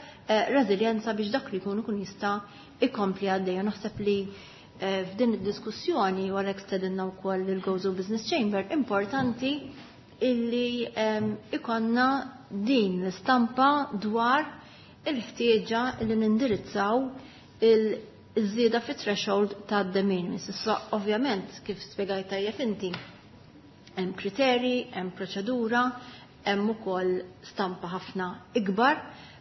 Speaker 1: reżiljenza biex dak li jkun ikun jista' ikompli għaddej. Naħseb li f'din id-diskussjoni, u għalhekk stedinna wkoll il-Gozo Business Chamber, importanti illi ikonna din l-istampa dwar il-ħtieġa li nindirizzaw il-żieda fit threshold ta' de minimis. Issa ovvjament kif spjegajt tajjeb inti, hemm kriteri, hemm proċedura, hemm ukoll stampa ħafna ikbar,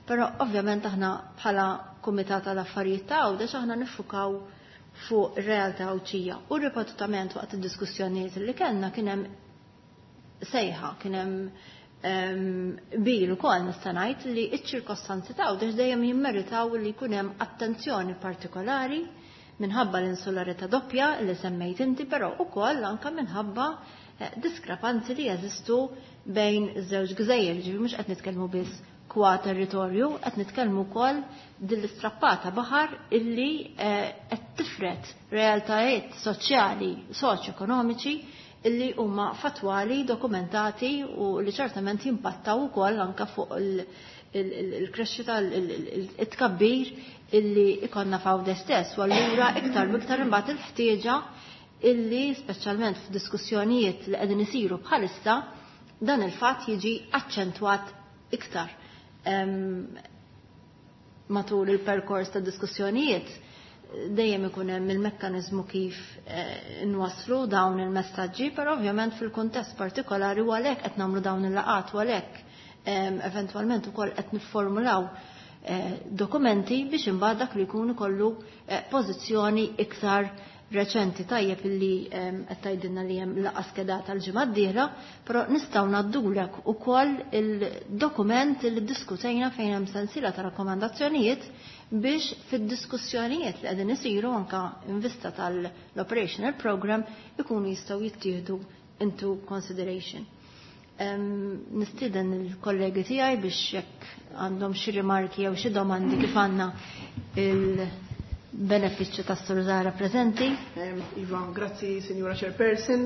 Speaker 1: però ovvjament aħna bħala Kumitat tal Affarijiet ta' Għawdex aħna niffukaw fuq ir-realtà Għawdxija. U ripetutament waqt id-diskussjonijiet li kellna kien hemm sejħa, kien hemm bil ukoll nista' ngħid li ċ-ċirkostanzi ta' Għawdex dejjem jimmeritaw li jkun hemm attenzjoni partikolari minħabba l-insularità doppja li semmejt inti, però ukoll anke minħabba diskrepanzi li jeżistu bejn iż-żewġ gżejjer, ġifieri mhux qed nitkellmu biss kwa territorju, qed nitkellmu wkoll din l-istrappata baħar illi qed tifret realtajiet soċjali, soċjoekonomiċi illi huma fatwali, dokumentati u li ċertament jimpattaw ukoll anke fuq il-krexxita, it-tkabbir illi ikonna f'Għawdex stess. U allura iktar biktar imbagħad il-ħtieġa illi speċjalment f'diskussjonijiet li qegħdin isiru bħalissa dan il-fatt jiġi aċċentwat iktar. Matul il-perkors ta' diskussjonijiet dejjem ikun hemm il-mekkaniżmu kif nwasslu dawn il-messaġġi, però ovvjament fil-kuntest partikolari u għalhekk qed nagħmlu dawn il-laqgħat u għalhekk eventwalment ukoll qed nifformulaw dokumenti biex imbagħad dak li jkun ikollu pożizzjoni iktar reċenti. Tajjeb illi qed tgħidilna li hemm laqgħa skedata l-ġimgħa d-dieħla, però nistgħu ngħaddulek ukoll il-dokument li ddiskutejna fejn hemm sensiela ta' rakkomandazzjonijiet biex fid-diskussjonijiet li qegħdin isiru anke in vista tal-operational program ikunu jistgħu jittieħdu into consideration. Nistieden il-kollegi tiegħi biex jekk għandhom xi rimarki jew xi domandi kif għandna il-benefiċċju tas-Sur Zahra preżenti.
Speaker 2: Iva, grazzi Sinjura Chairperson.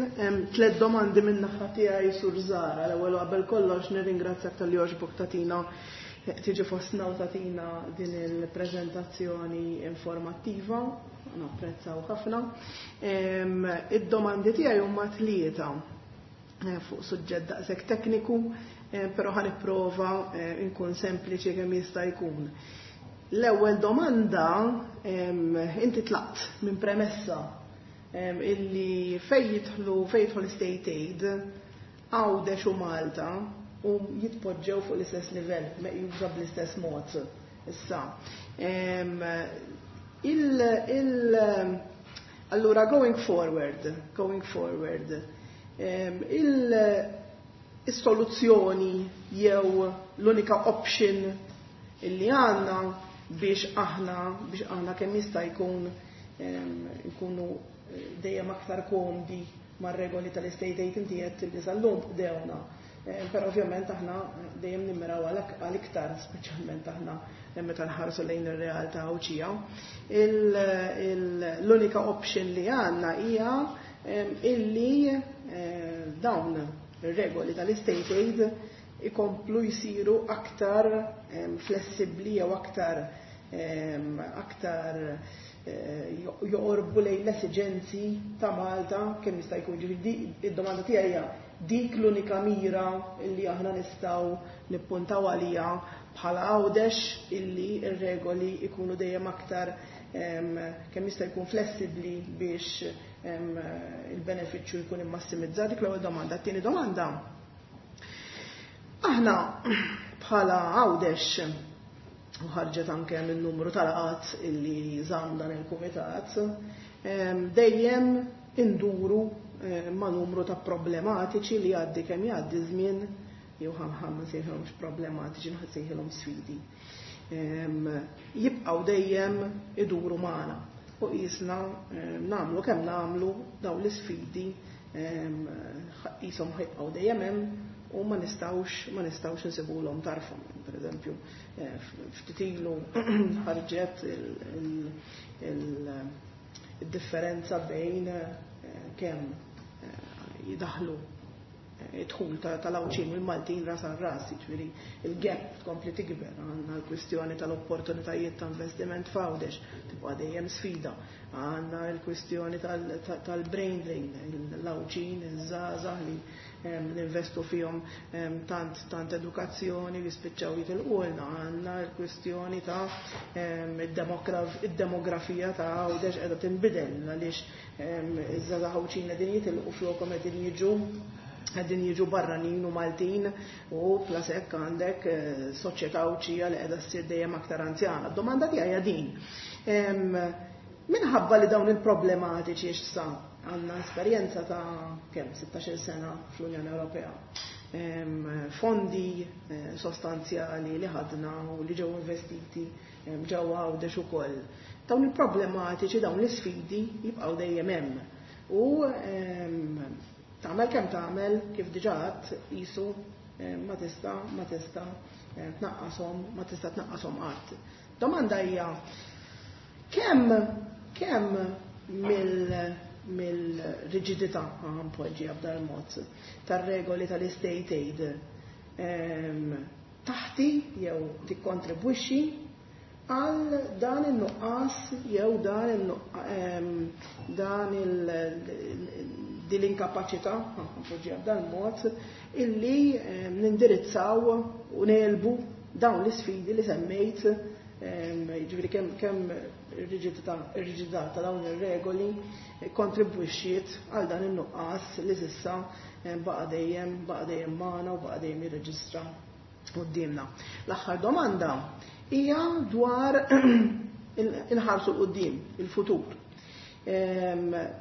Speaker 2: Tlet domandi minn naħa tiegħi, Sur Zahra. L-ewwel qabel kollox nirringrazzjak talli għoġbok tagħtina tiġi fostna u tagħtina din il-preżentazzjoni informattiva, napprezzaw ħafna. Id-domandi tiegħi huma tlieta fuq suġġett daqshekk tekniku, però ħa nipprova nkun sempliċi kemm jista' jkun. L-ewwel domanda, inti tlaqt minn premessa illi fejn jidħlu state aid, Għawdex u Malta u jitpoġġew fuq l-istess livell, meqjusa bl-istess mod. Issa, il, allura going forward, il-soluzzjoni jew l-unika option illi għandna biex aħna kemm jista' jkun nkunu dejjem aktar komdi mar-regoli tal-state aid, inti qed li sal-lum bdewna. Però ovvjament aħna dejjem nimmiraw għal iktar, speċjalment aħna meta nħarsu lejn ir-realtà Għawdxija. L-unika option li għandna hija illi dawn ir-regoli tal-state aid ikomplu jsiru aktar flessibbli jew aktar joqorbu lejn l-esiġenzi ta' Malta kemm jista' jkun. Ġifieri id-domanda tiegħi hija dik l-unika mira illi aħna nistgħu nippuntaw għalija bħala Għawdex, illi ir-regoli ikunu dejjem aktar kemm jista' jkun flessibbli biex il-benefiċċju jkun immassimizzat? Dik l-ewwel domanda. Tieni domanda. Aħna bħala Għawdex, u ħarġet anke minn numru tal-laqgħat illi żamm dan il-kumitat, dejjem induru ma' numru ta' problematiċi li għaddi kemm jgħaddi żmien, jew ħa ma nsejħilhomx problematiċi, nsejħilhom sfidi. Jibqgħu dejjem iduru magħna u qisna nagħmlu kemm nagħmlu, dawn l-isfidi qishom ħa jibqgħu dejjem hemm u ma nistgħux insibulhom tarfhom. Per eżempju, ftit ilu ħarġet il-differenza bejn kemm jidaħlu id-dħul tal-Għawdxin u l-Maltin ras għal ras, ġifieri il-gap tkompli tikber, għandna l-kwistjoni tal-opportunitajiet ta' investiment f'Għawdex, tibqa' dejjem sfida, għandna l-kwistjoni tal-brain drain, l-Għawdxin, iż-żgħażagħ li ninvestu fihom tant tant edukazzjoni jispiċċaw jitilqulna, għandna l-kwistjoni ta' id-demografija ta' Għawdex qiegħda tinbidel għaliex iż-żgħażagħ Għawdxin qegħdin jitilqu, flokhom qegħdin jiġu barranin u Maltin, u plus hekk għandek soċjetà Għawdxija li qiegħda ssir dejjem aktar anzjana. Domanda tiegħi hija din. Minħabba li dawn il-problematiċi issa għandna esperjenza ta' kemm 16 sena fl-Unjoni Ewropea. Fondi sostanzjali li ħadna u li ġew investiti ġewwa Għawdex ukoll. Dawn il-problematiċi, dawn l-isfidi jibqgħu dejjem hemm. U tagħmel kemm tagħmel, kif diġà għedt, qisu ma tista' tnaqqashom, ma tista' tnaqqashom qatt. Domanda hija kemm mill-riġidità, npoġġiha b'dal mod, tar-regoli tal-state aid taħti jew tikkontribwixxi għal dan il-nuqqas jew dan il din l-inkapaċità, npoġġiha b'dan mod, illi nindirizzaw u negħlbu dawn l-isfidi li semmejt, ġifieri kemm ir-riġidità ta' dawn ir-regoli kontribwixxiet għal dan in-nuqqas li s'issa baqa' dejjem magħna u baqa' dejjem jirreġistra quddiemna. L-aħħar domanda. hija dwar inħarsu 'l quddiem, il-futur.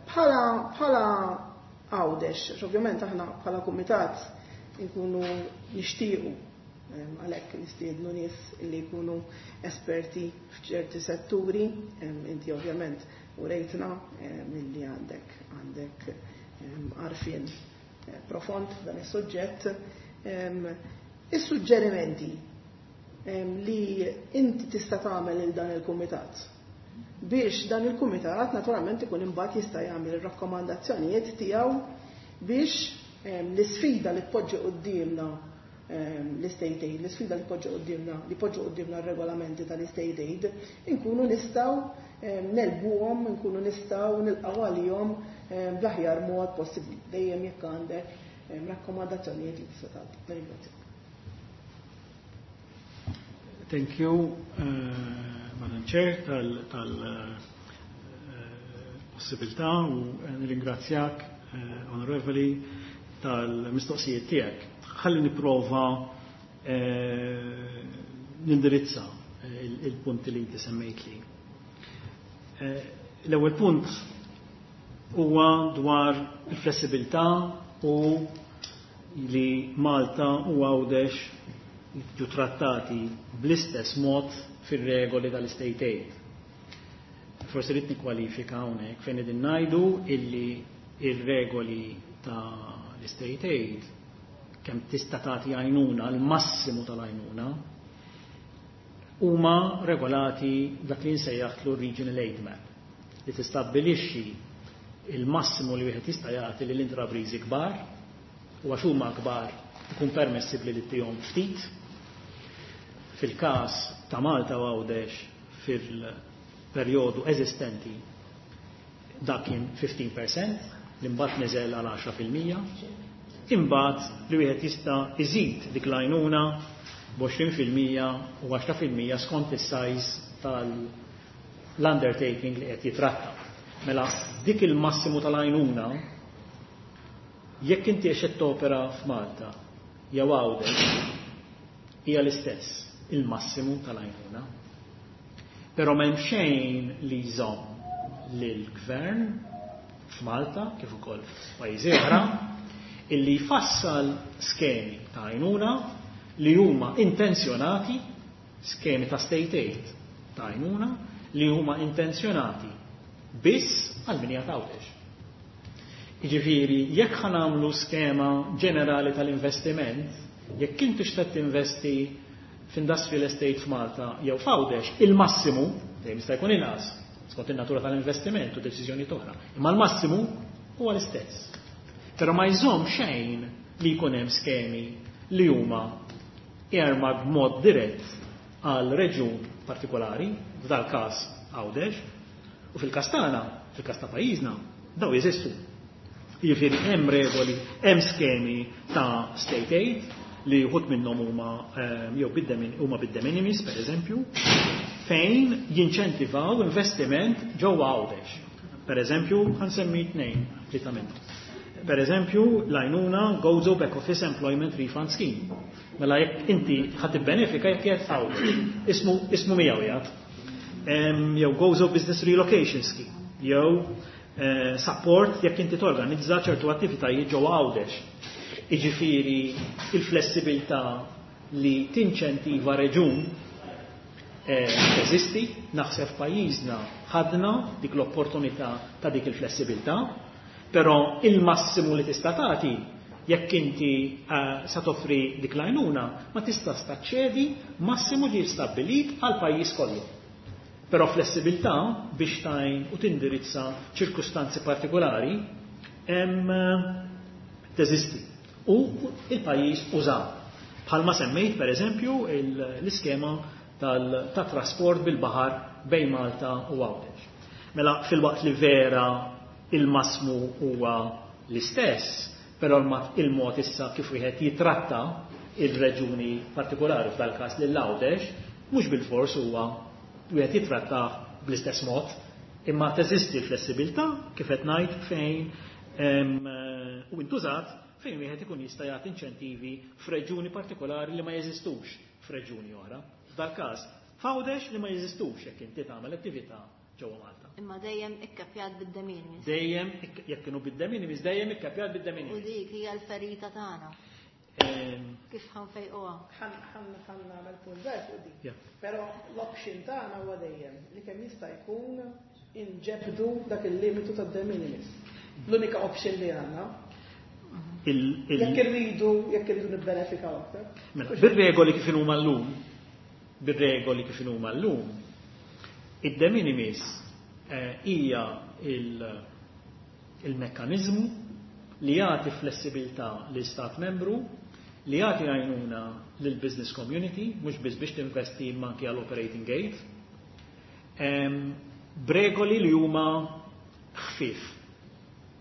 Speaker 2: Bħala Għawdex, għax ovvjament aħna bħala kumitat inkunu nixtiequ għalhekk nistiednu nies li jkunu esperti f'ċerti setturi, inti ovvjament urejtna milli għandek għandek għarfien profond f'dan is-suġġett. Is-suġġerimenti li inti tista' tagħmel lil dan il-kumitat biex dan il-kumitat naturalment ikun imbagħad jista' jagħmel ir-rakkomandazzjonijiet tiegħu biex l-isfida li tpoġġi quddiemna l-istate aid, l-isfida li tpoġġi quddiemna li poġġu quddiemna r-regolamenti tal-istate aid, inkunu nistgħu negħlbuhom, inkunu nistgħu nilqgħu għalihom bl-aħjar mod possibbli, dejjem jekk għandek rakkomandazzjonijiet li tista' tagħti. Nirringrazzjak.
Speaker 3: Thank you, Madam Chair, tal-possibilità u nirringrazzjak, Onorevoli, tal-mistoqsijiet tiegħek. Ħalli nipprova nindirizza il-punti li inti semmejt li. L-ewwel punt huwa dwar il-flessibilità u li Malta u Għawdex jiġu trattati bl-istess mod fir-regoli tal-State Aid. Forsi rrid nikkwalifika hawnhekk fejn qegħdin ngħidu illi ir-regoli tal-State Aid kemm tista' tagħti għajnuna, l-massimu tal-għajnuna, huma regolati dak li nsejjaħlu Regional Aid Map li tistabbilixxi il-massimu li wieħed jista' jagħti lil intrapriżi kbar u għax huma kbar ikun permessibbli li ttihom ftit. Fil-każ ta' Malta u Għawdex fil-perjodu eżistenti dak kien 15% li mbagħad niżel għal 10%. Imbagħad li wieħed jista' iżid dik l-għajnuna b'20% u 10% skont is-size tal-undertaking li qed jitratta. Mela dik il-massimu tal-għajnuna jekk inti qed topera f'Malta jew Għawdex hija l-istess il-massimu tal-għajnuna. Però m'hemm xejn li jżomm lill-gvern f'Malta kif ukoll f'pajjiżi oħra illi jfassal skemi ta' għajnuna li huma intenzjonati, skemi ta' state aid ta' għajnuna li huma intenzjonati biss għal min qiegħed Għawdex. Jiġifieri jekk ħa nagħmlu skema ġenerali tal-investiment, jekk inti xtaqt tinvesti f'industrial estate f'Malta jew f'Għawdex, il-massimu, dejjem jista' jkun inqas, skont in-natura tal-investiment u deċiżjoni oħra, imma l-massimu huwa l-istess. Però ma jżomm xejn li jkun hemm skemi li huma earmarked b'mod dirett għal reġjun partikolari, f'dal każ Għawdex, u fil-każ tagħna, fil-każ ta' pajjiżna, daw jeżistu. Jiġifieri hemm regoli, hemm skemi ta' state aid li wħud minnhom huma jew huma bid-de minimis, per eżempju, fejn jinċentivaw investiment ġewwa Għawdex. Per eżempju, ħa nsemmi tnejn, tlieta minnhom. Per eżempju, l-għajnuna Gozo Back Office Employment Refund Scheme. Mela jekk inti ħa tibbenefika jekk qiegħed Għawdex, ismu miegħu jgħid. Jew Gozo Business Relocation Scheme, jew support jekk inti torganizza ċertu attivitajiet ġewwa Għawdex. Jiġifieri il-flessibilità li tinċentiva reġun teżisti, naħseb pajjiżna ħadna dik l-opportunità ta' dik il-flessibilità, però il-massimu li tista' tagħti jekk inti sa toffri dik l-għajnuna ma tista' taċċedi massimu ġie stabbilit għal pajjiż kollu. Però flessibilità biex tgħin u tindirizza ċirkustanzi partikolari hemm teżisti. U il-pajjiż uża. Bħalma semmejt per eżempju l-iskema ta' trasport bil-baħar bejn Malta u Għawdex. Mela fil-waqt li vera il-massimu huwa l-istess, però il-mod issa kif wieħed jitratta il-reġuni partikolari f'dal każ lil Għawdex, mhux bil-fors huwa wieħed jitratta bl-istess mod, imma teżisti l-flessibilità kif qed ngħid fejn u intużat fejn wieħed ikun jista' jagħti inċentivi f'reġuni partikolari li ma jeżistux f'reġuni oħra. F'dal każ f'Għawdex li ma jeżistux jekk inti tagħmel attività ġewwa Malta.
Speaker 1: Imma dejjem ikkapjat bid-de minimis.
Speaker 3: Dejjem, jekk kienu bid-de minimis, dejjem ikkapjat bid-de minimis.
Speaker 1: U dik hija l-ferita tagħna. Kif ħa nfejquha?
Speaker 2: Ħa nagħmel punt żgħir fuq dik. Però l-option tagħna huwa dejjem li kemm jista' jkun inġebdu dak il-limitu tad-de minimis. L-unika option li għandna. Jekk irridu nibbenefikaw aktar.
Speaker 3: Mela, bir-regoli kif huma llum, bir-regoli kif huma llum, id-de minimis hija il-mekkanizmu li jagħti flessibilità l-Istat membru li jagħti għajnuna lil business community, mhux biss biex tinvesti imma anki għal operating aid, b'regoli li huma ħfif.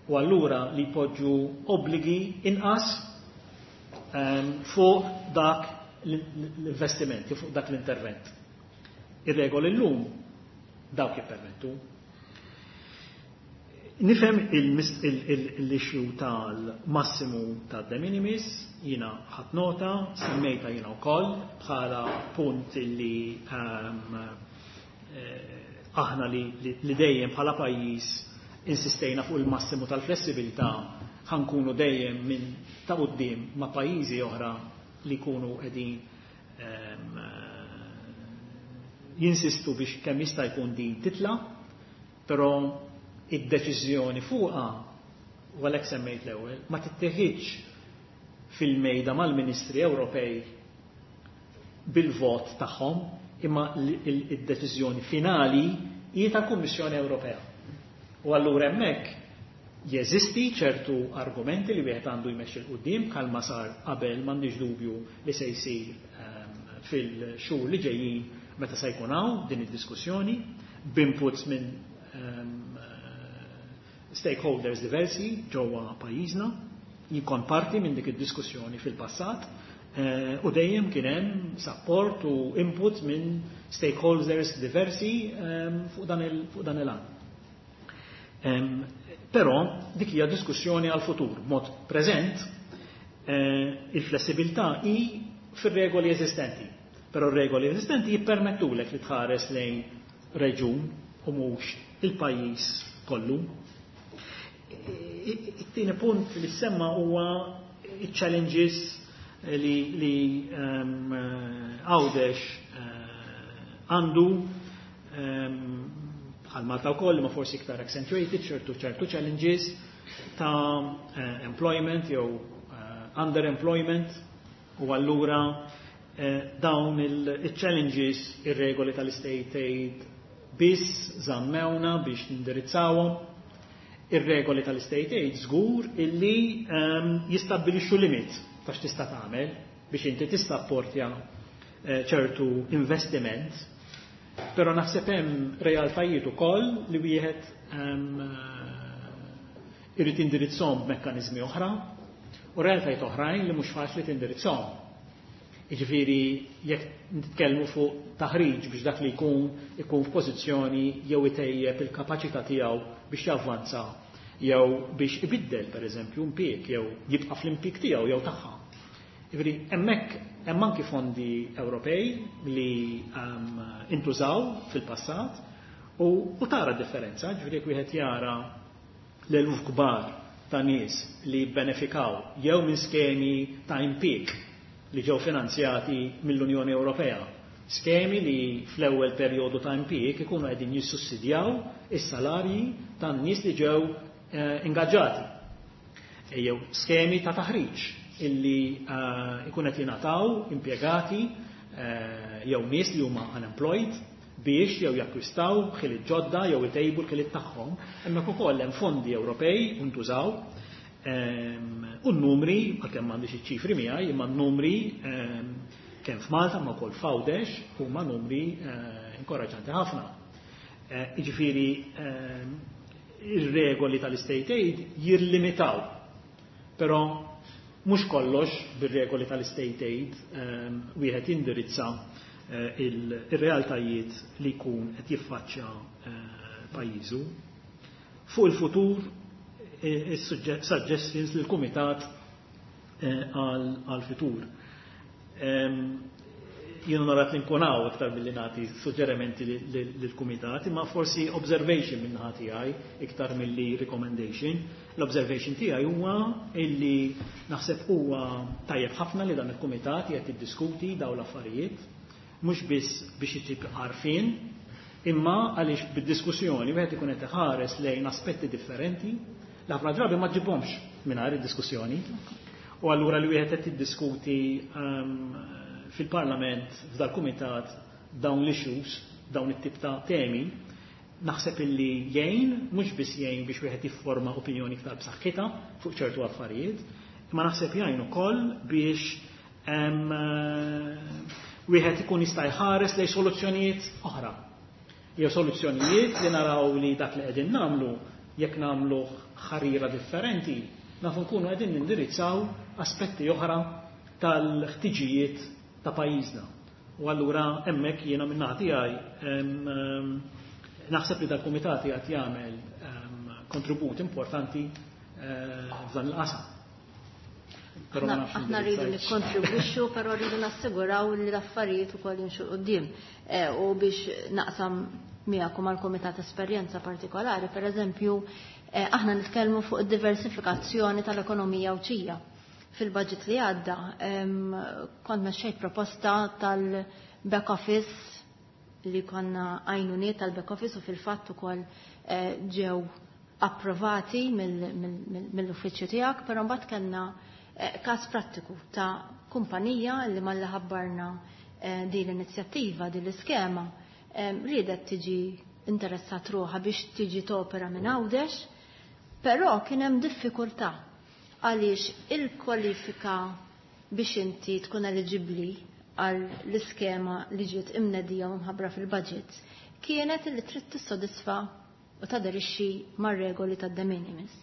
Speaker 3: U allura li jpoġġu obbligi inqas fuq dak l-investimenti, fuq dak l-intervent. Ir-regoli llum dawk jippermettu. Nifhem l-issue tal-massimu ta' de minimis, jiena ħadt nota, semmejta jiena wkoll bħala punt li aħna li dejjem bħala pajjiż insistejna fuq il-massimu tal-flessibilità, ħa nkunu dejjem minn ta' quddiem ma' pajjiżi oħra li jkunu qegħdin jinsistu biex kemm jista' jkun din titla, però id-deċiżjoni fuqha, u għalhekk semmejt l-ewwel, ma titteħidx fil-mejda mal-Ministri Ewropej bil-vot tagħhom, imma id-deċiżjoni finali hi tal-Kummissjoni Ewropea. U allura hemmhekk jeżisti ċertu argumenti li wieħed għandu jmexxi 'l quddiem bħalma sar qabel, m'għandix dubju li se jsir fil-xhur li ġejjin meta se jkun hawn din id-diskussjoni b'inputs minn stakeholders diversi ġewwa pajjiżna. Jien kont parti minn dik id-diskussjoni fil-passat u dejjem kien hemm support u input minn stakeholders diversi fuq dan il-għan. Però dik hija diskussjoni għal futur. Mod preżent il-flessibilità hi fir-regoli eżistenti. Però r-regoli eżistenti jippermettulek li tħares lejn reġun u mhux il-pajjiż kollu. It-tieni punt li semma huwa challenges li Għawdex għandu bħal Malta wkoll, ma forsi iktar accentuated ċertu challenges ta' employment jew underemployment, u allura dawn il-challenges ir-regoli tal-state aid biss żammewna biex nindirizzawhom. Ir-regoli tal-state aid żgur illi jistabbilixxu limit ta' x'tista' tagħmel biex inti tissapportja ċertu investiment, però naħseb hemm realtajiet ukoll li wieħed irid indirizzhom b'mekkaniżmi oħra u realtajiet oħrajn li mhux faċli tindirizzhom. Jiġifieri jekk nitkellmu fuq taħriġ biex dak li jkun ikun f'pożizzjoni jew itejjeb il-kapaċità tiegħu biex javvanza jew biex ibiddel, pereżempju, impjieg jew jibqa' fl-impjieg tiegħu jew tagħha. Jiġifieri hemmhekk hemm anki fondi Ewropej li intużaw fil-passat u tara differenza, ġifieri jekk wieħed jara l-eluf kbar ta' nies li benefikaw jew minn skemi ta' impjieg li ġew finanzjati mill-Unjoni Ewropea. Skemi li fl-ewwel perjodu ta' impjieg ikunu qegħdin jissussidjaw is-salarji tan-nies li ġew ingaġġati. Jew skemi ta' taħriġ illi ikun qed jingħataw impjegati jew nies li huma unemployed biex jew jakkwistaw ħiliet ġodda jew itejbu l-ħiliet tagħhom. Hemmhekk ukoll hemm fondi Ewropej ntużaw u n-numri, għalkemm m'għandix iċ-ċifri miegħi, imma n-numri kemm f'Malta ma wkoll f'Għawdex huma numri inkoraġġanti ħafna. Jiġifieri ir-regoli tal-state aid jirlimitaw, però mhux kollox bir-regoli tal-state aid wieħed jindirizza il-realtajiet li jkun qed jiffaċċja pajjiżu. Fuq il-futur, is-suggestions lill-Kumitat għal-futur. Jien onorat li nkun hawn iktar milli nagħti suġġerimenti lill-kumitat, imma forsi observation minn naħa tiegħi iktar milli recommendation. L-observation tiegħi huwa illi naħseb huwa tajjeb ħafna li dan il-kumitat qed jiddiskuti dawn l-affarijiet, mhux biss biex isib għarfien, imma għaliex bid-diskussjoni wieħed ikun qed iħares lejn aspetti differenti li ħafna drabi ma ġibhomx mingħajr id-diskussjoni. U allura li wieħed qed jiddiskuti fil-Parlament, f'dal-kumitat, dawn l-issues, dawn it-tip ta' temi, naħseb illi jgħin, mhux biss jgħin biex wieħed jifforma opinjoni iktar b'saħħitha fuq ċertu affarijiet, imma naħseb jgħin ukoll biex wieħed ikun jista' jħares lejn soluzzjonijiet oħra. Jew soluzzjonijiet li naraw li dak li qegħdin nagħmlu jekk nagħmlu ħarira differenti, nafu nkunu qegħdin nindirizzaw aspetti oħra tal-ħtiġijiet ta' pajjiżna. U allura hemmhekk jiena minn tiegħi naħseb li dal-kumitat qed jagħmel kontribut importanti f'dan il-qasam.
Speaker 1: Aħna rridu nikkontribwixxu, però rridu nassiguraw li l-affarijiet ukoll jimxu quddiem. U biex naqsam miegħek mal-kumitat esperjenza partikolari, per eżempju, aħna nitkellmu fuq id-diversifikazzjoni tal-ekonomija Għawdxija. Fil-budget li għadda, kont mexxejt proposta tal-back office li konna għajnuniet tal-back office u fil-fatt ukoll ġew approvati mill-uffiċċju tiegħek, però mbagħad kellna każ prattiku ta' kumpanija li malli ħabbarna din l-inizjattiva, din l-iskema, riedet tiġi interessat ruħha biex tiġi topera minn Għawdex, però kien hemm diffikultà għaliex il-kwalifika biex inti tkun eligibbli għal l-iskema li ġiet imnedija u mħabbra fil-budget kienet li trid tissodisfa u taderixxi mar-regoli tad-de minimis.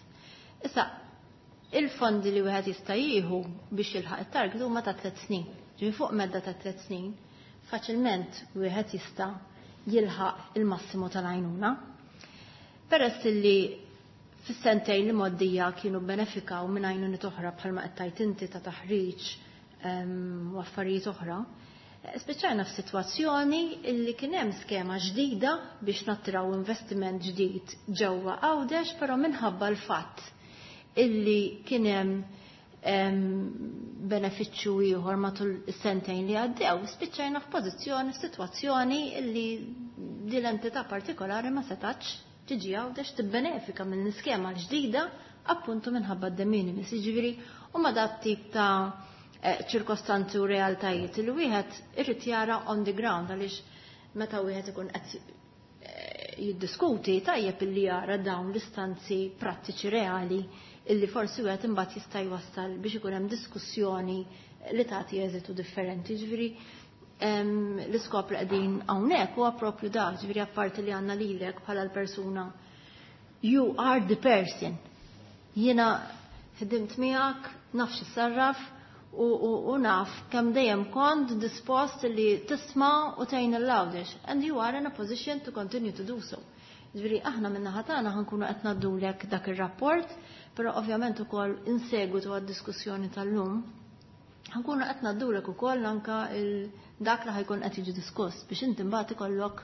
Speaker 1: Issa, il-fondi li wieħed jista' jieħu biex jilħaq it-target huma ta' 3 snin. Ġifieri fuq medda ta' 3 snin, faċilment wieħed jista' jilħaq il-massimu tal-għajnuna. Peress li fis-sentejn li moddija kienu benefikaw minn għajnuniet oħra bħalma qed tgħid inti ta' taħriġ u affarijiet oħra, spiċċajna f'sitwazzjoni illi kien hemm skema ġdida biex nattraw investiment ġdid ġewwa Għawdex, però minħabba l-fatt illi kien hemm benefiċċju ieħor matul is-sentejn li għaddew, spiċċajna f'pożizzjoni, f'sitwazzjoni illi din l-entità partikolari ma setax tiġi Għawdex tibbenefika minn l-iskema l-ġdida appuntu minħabba d-de minimis. Jiġifieri huma dat tip ta' ċirkostanzi u realtajiet li wieħed irid jara on the ground, għaliex meta wieħed ikun qed jiddiskuti, tajjeb illi jara dawn l-istanzi prattiċi reali illi forsi wieħed imbagħad jista' jwassal biex ikun hemm diskussjoni li tagħti eżitu differenti. Ġifieri l-iskop li qegħdin hawnhekk huwa propju da, ġifieri apparti li għandna lilek bħala l-persuna. You are the person. Jiena ħdimt miegħek, naf x'issarraf u naf kemm dejjem kont dispost li tisma' u tgħin l-Għawdex. And you are in a position to continue to do so. Ġifieri aħna minn naħa tagħna ħa nkunu qed ngħaddulek dak ir-rapport, però ovvjament ukoll insegwitu għad-diskussjoni tal-lum ħa nkunu qed ngħaddulek ukoll anka dak li ħa jkun qed jiġi diskuss biex inti mbagħad ikollok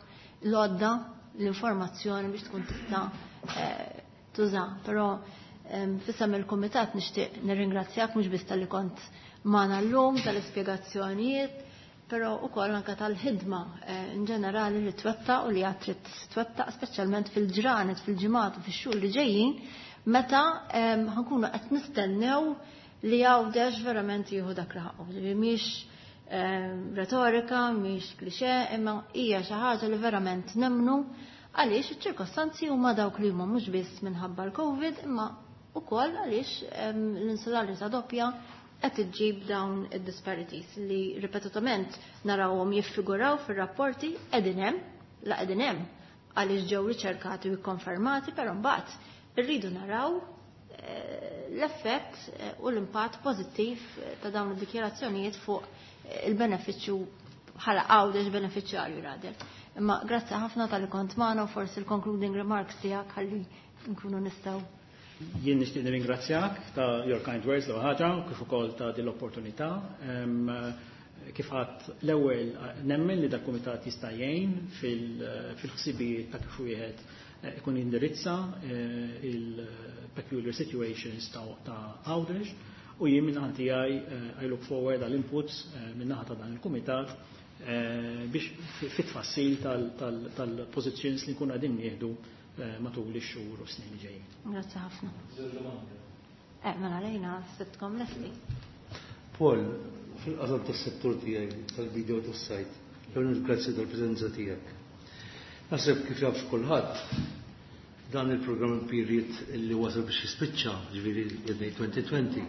Speaker 1: l-għodda, l-informazzjoni biex tkun tista' tuża. Però f'isem il-kumitat nixtieq nirringrazzjak mhux biss talli kont magħna llum tal-ispjegazzjonijiet, però ukoll anke tal-ħidma in ġenerali li twettaq u li għad trid twettaq, speċjalment fil-ġranet, fil-ġimgħat u fix-xhur li ġejjin, meta ħa nkunu qed nistennew li Għawdex verament jieħu dak li ħaqqu. Ġifieri mhix retorika, mhix klixe, imma hija xi ħaġa li verament nemmnu, għaliex iċ-ċirkostanzi huma dawk li huma, mhux biss minħabba l-Covid, imma ukoll għaliex l-insularità doppja qed iġġib dawn id-disparities li ripetutament narawhom jiffiguraw fir-rapporti. Qegħdin hemm, la qegħdin hemm għaliex ġew riċerkati u ikkonfermati, però mbagħad irridu naraw l-effett u l-impatt pożittiv ta' dawn id-dikjarazzjonijiet fuq il-benefiċċju bħala Għawdex benefiċjarju rader. Imma grazzi ħafna talli kont magħna u forsi l-concluding remarks tiegħek ħalli nkunu nistgħu.
Speaker 3: Jien nixtieq nirringrazzjak ta' your kind words l ħaġa u kif ukoll ta' din l-opportunità. Kif għadt l-ewwel, nemmen li dal-kumitat jista' jgħin fil-ħsibijiet ta' kif wieħed ikun indirizza il-peculiar situations ta' Għawdex u jien minn naħa tiegħi I look forward għal inputs minn naħa ta' dan il-kumitat biex fit-tfassil tal-positions li nkunu qegħdin nieħdu matul ix-xhur u snin li ġejjin.
Speaker 1: Grazzi ħafna. Mela lejna sibtkom lesti.
Speaker 4: Paul, fil-qasam tas-settur tiegħi tal-biedja tas-sajd, l grazzi tal-preżenza tiegħek. Naħseb kif jaf kulħadd, dan il-programm period li wasal biex jispiċċa, ġifieri 2020.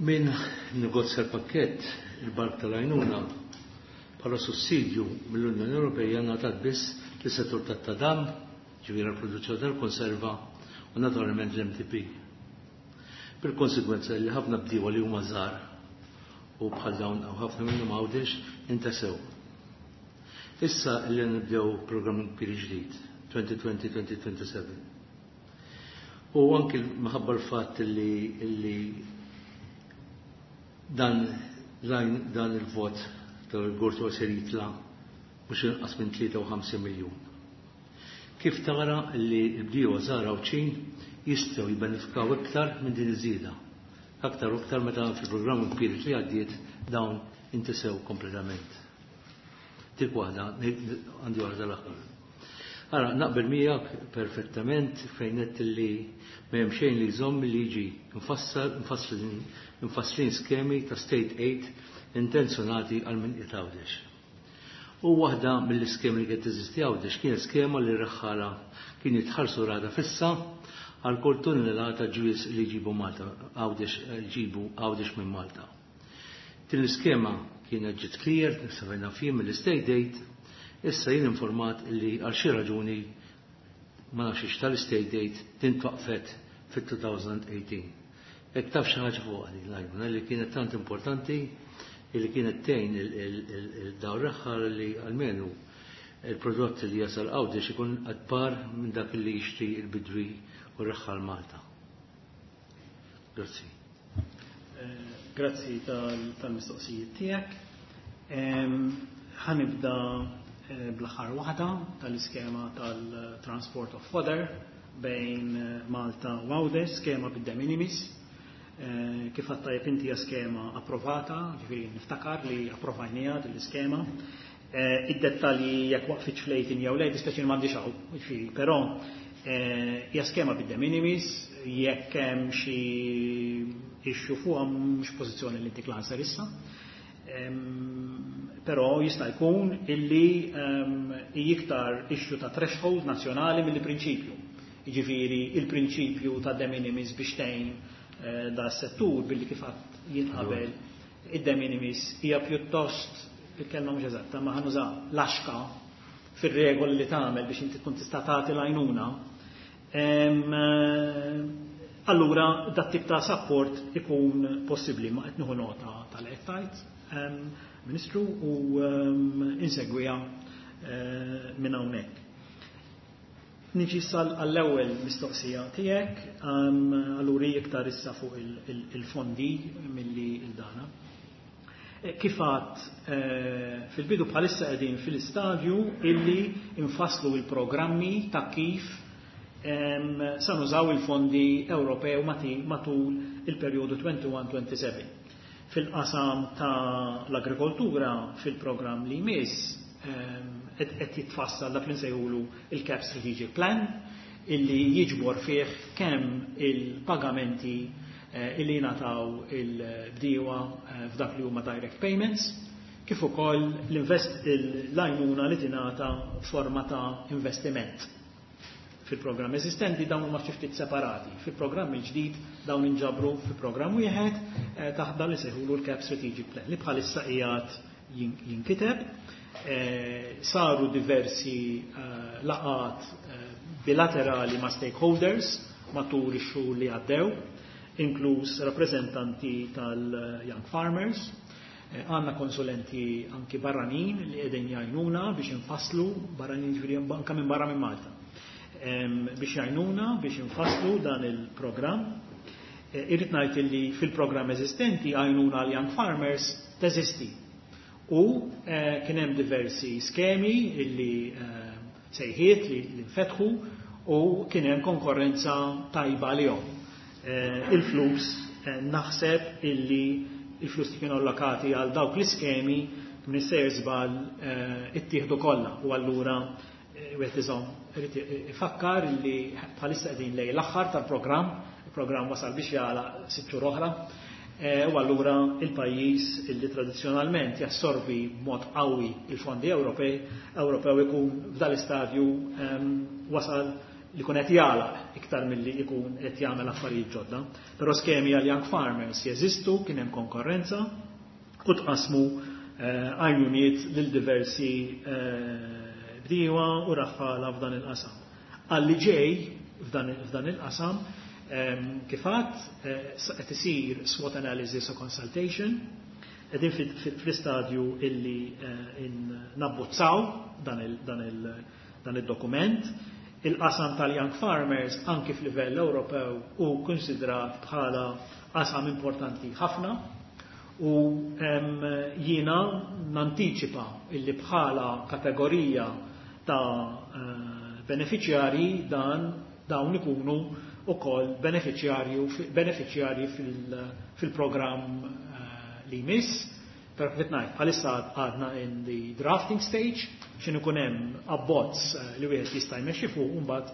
Speaker 4: Min negozja l-pakkett, il-bark tal-għajnuna, bħala sussidju mill-Unjoni Ewropea ngħatat biss lis-settur tat-tadam, ġifieri l-produzzjoni tal-konserva u naturalment l-MTP. Bil-konsekwenza li ħafna bdiewa li huma żgħar u bħal dawn u ħafna minnhom Għawdex intesew. Issa li nibdew programm kbir ġdid, 2020-2027. U anki minħabba l-fatt li dan il-vot tal-Gortu ser jitla mhux inqas minn 53 miljun. Kif tara li l-bdiewa żgħar Għawdxin jistgħu jibbenefikaw iktar minn din iż-żieda? Aktar u iktar meta fil-programm kbir li għaddiet dawn intesew kompletament. Dik waħda, għandi waħda l-aħħar. Ara, naqbel miegħek perfettament fejn qed li ma hemm xejn li jżomm li jiġi mfasslin skemi ta' state aid intenzjonati għal min qiegħed Għawdex. U waħda mill-iskemi li kienet teżisti Għawdex kienet skema li r-raħħala kien jitħallsu rata fissa għal kull tunnellata ġwież li jġibu Malta, Għawdex, ġibu Għawdex minn Malta. Din l-iskema kienet ġiet clear, sabajna fim mill-state aid, issa jien informat li għal xi raġuni ma nafx tal-state aid din twaqfet fit-2018. Jekk taf xi ħaġa fuq din l-għajnuna li kienet tant importanti li kienet tgħin il-dawn raħħala li almenu il-prodott li jasal Għawdex ikun at par minn dak li jixtri il-bidwi u raħħal Malta. Grazzi.
Speaker 3: Grazzi tal-mistoqsijiet tiegħek. Ħa nibda bl-aħħar waħda tal-iskema tal-Transport of Fodder bejn Malta u Għawdex, skema bid-de minimis. Kif għedt tajjeb inti, hija skema approvata, ġifieri niftakar li approvajnieha din l-iskema. Id-dettalji jekk waqfitx fl-18 jew le, dispjaċini m'għandix hawn, ġifieri, però hija skema bid-de minimis, jekk hemm xi issue fuqha mhux pożizzjoni li ntik l-answer issa. Però jista' jkun illi iktar issue ta' threshold nazzjonali mill-prinċipju. Jiġifieri il-prinċipju ta' de minimis biex tgħin da settur billi kif jinqabel id-de minimis hija pjuttost, il-kelma mhux eżatta, ma ħa nuża laxka fir-regoli li tagħmel biex inti tkun tista' tagħti l-għajnuna. Allura dat tip ta' support ikun possibbli, ma qed nieħu nota tal-qed Ministru u insegwiha minn hawnhekk. Niġi sal għall-ewwel mistoqsija tiegħek, allura iktar issa fuq il-fondi milli il-dana. Kif għedt fil-bidu, bħalissa qegħdin fil-istadju illi infasslu il-programmi ta' kif sa nużaw il-fondi Ewropew matul il-perjodu 21-27. Fil-qasam ta' l-agrikoltura, fil-programm li jmiss qed jitfassal dak li nsejħulu il-CAP Strategic Plan illi jiġbor fih kemm il-pagamenti illi jingħataw il-bdiewa f'dak li huma direct payments, kif ukoll l-għajnuna li tingħata forma ta' investiment. Fil-programm eżistenti dawn huma xi ftit separati. Fil-programm il-ġdid dawn inġabru fi programm wieħed taħt dan li sejħulu l-CAP Strategic Plan li bħalissa qiegħed jinkiteb. Saru diversi laqat bilaterali ma' stakeholders matul ix-xhur li għaddew, inkluż rappreżentanti tal-Young Farmers. Għandna konsulenti anki barranin li qegħdin jgħinuna biex infasslu, barranin ġifieri anke minn barra minn Malta, biex jgħinuna biex infasslu dan il-programm. Irrid ngħid li fil-programm eżistenti għajnuna għal Young Farmers teżisti. U kien hemm diversi skemi illi sejħiet li nfetħu u kien hemm konkorrenza tajba għalihom. Il-flus naħseb illi il-flus li kienu allokati għal dawk l-iskemi minn sejjer żball ittieħdu kollha u allura wieħed iżomm irid ifakkar li bħalissa qegħdin lejn l-aħħar tal-programm, il-programm wasal biex jagħlaq 6 xhur oħra, u allura il-pajjiż illi tradizzjonalment jassorbi b'mod qawwi il-fondi Ewropej Ewropew ikun f'dal-istadju wasal li jkun qed jagħlaq iktar milli jkun qed jagħmel affarijiet ġodda. Però skemi għal Young Farmers jeżistu, kien hemm konkorrenza u tqasmu għajnuniet lil diversi bdiewa u raħħala f'dan il-qasam. Għalli ġej f'dan il-qasam, kif għedt, qed isir SWOT analysis u consultation, qegħdin fl-istadju illi nabbozzaw dan id-dokument. Il-qasam tal-Young Farmers anki f'livell Ewropew hu konsidrat bħala qasam importanti ħafna u jiena nantiċipa illi bħala kategorija ta' beneficjari dawn ikunu ukoll beneficjarji fil-programm li jmiss. Però kif ngħid, bħalissa għadna in the drafting stage, x'inhu ikun hemm abbozz li wieħed jista' jmexxi fuq, u mbagħad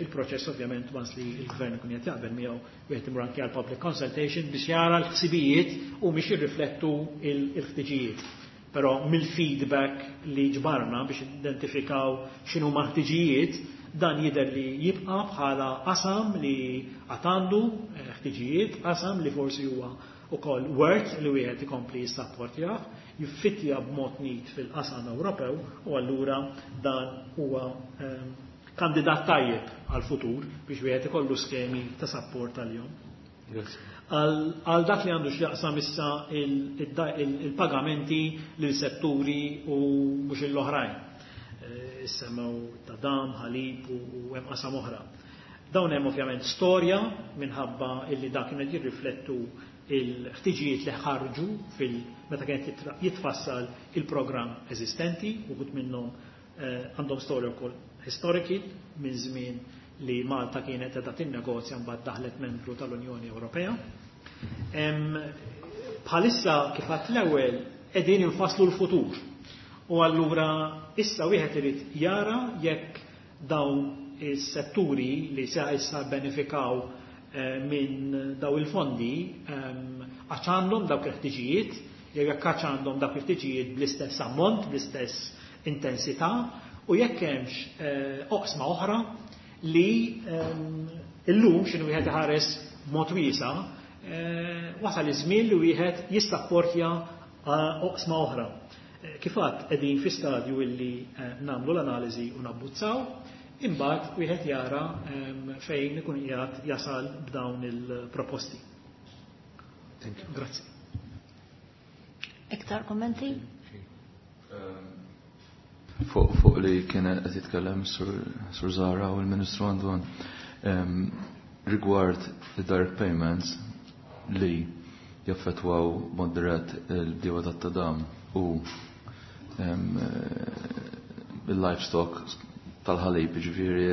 Speaker 3: il-proċess ovvjament once li l-gvern ikun qed jaqbel miegħu wieħed imur anke għal public consultation biex jara l-ħsibijiet u biex jirriflettu il-ħtiġijiet. Però mill-feedback li ġbarna biex identifikaw x'inhu ħtiġijiet, dan jidher li jibqa' bħala qasam li għad għandu ħtiġijiet, qasam li forsi huwa ukoll worth li wieħed ikompli jissapportjah, jiffittja b'mod neat fil-qasam Ewropew u allura dan huwa kandidat tajjeb għal-futur biex wieħed ikollu skemi ta' support għalihom. Għal dak li għandu x'jaqsam issa il-pagamenti lil setturi u mhux l-oħrajn. Issemmew ta' dam, ħalib u hemm qasam oħra. Dawn hemm ovvjament storja minħabba illi dak kienet jirriflettu il-ħtiġijiet li ħarġu fil meta kienet jitfassal il-programm eżistenti, uħud minnhom għandhom storja wkoll historiki minn żmien li Malta kienet qiegħda tinnegozja mbagħad daħlet membru tal-Unjoni Ewropea. Bħalissa kif għedt l-ewwel qegħdin infasslu l-futur. U allura issa wieħed irid jara jekk dawn is-setturi li sa issa benefikaw minn daw il-fondi għax għandhom dawk il-ħtiġijiet, jew jekk għax għandhom dawk il-ħtiġijiet bl-istess ammont, bl-istess intensità, u jekk hemmx oqsma oħra li illum x'inhu wieħed iħares b'mod wiesa', wasal iż-żmien li wieħed jissapportja oqsma oħra. Kif għedt qegħdin fi stadju illi nagħmlu l-analiżi u nabbozzaw, imbagħad wieħed jara fejn ikun qiegħed jasal b'dawn il-proposti.
Speaker 4: Thank you.
Speaker 3: Grazzi.
Speaker 1: Iktar kommenti?
Speaker 5: Fuq li kien qed jitkellem Sur Zahra u l-Ministru Antoine rigward the direct payments li jaffetwaw mod dirett il-bdiewa tat-tadam u il-livestock tal-ħalib, ġifieri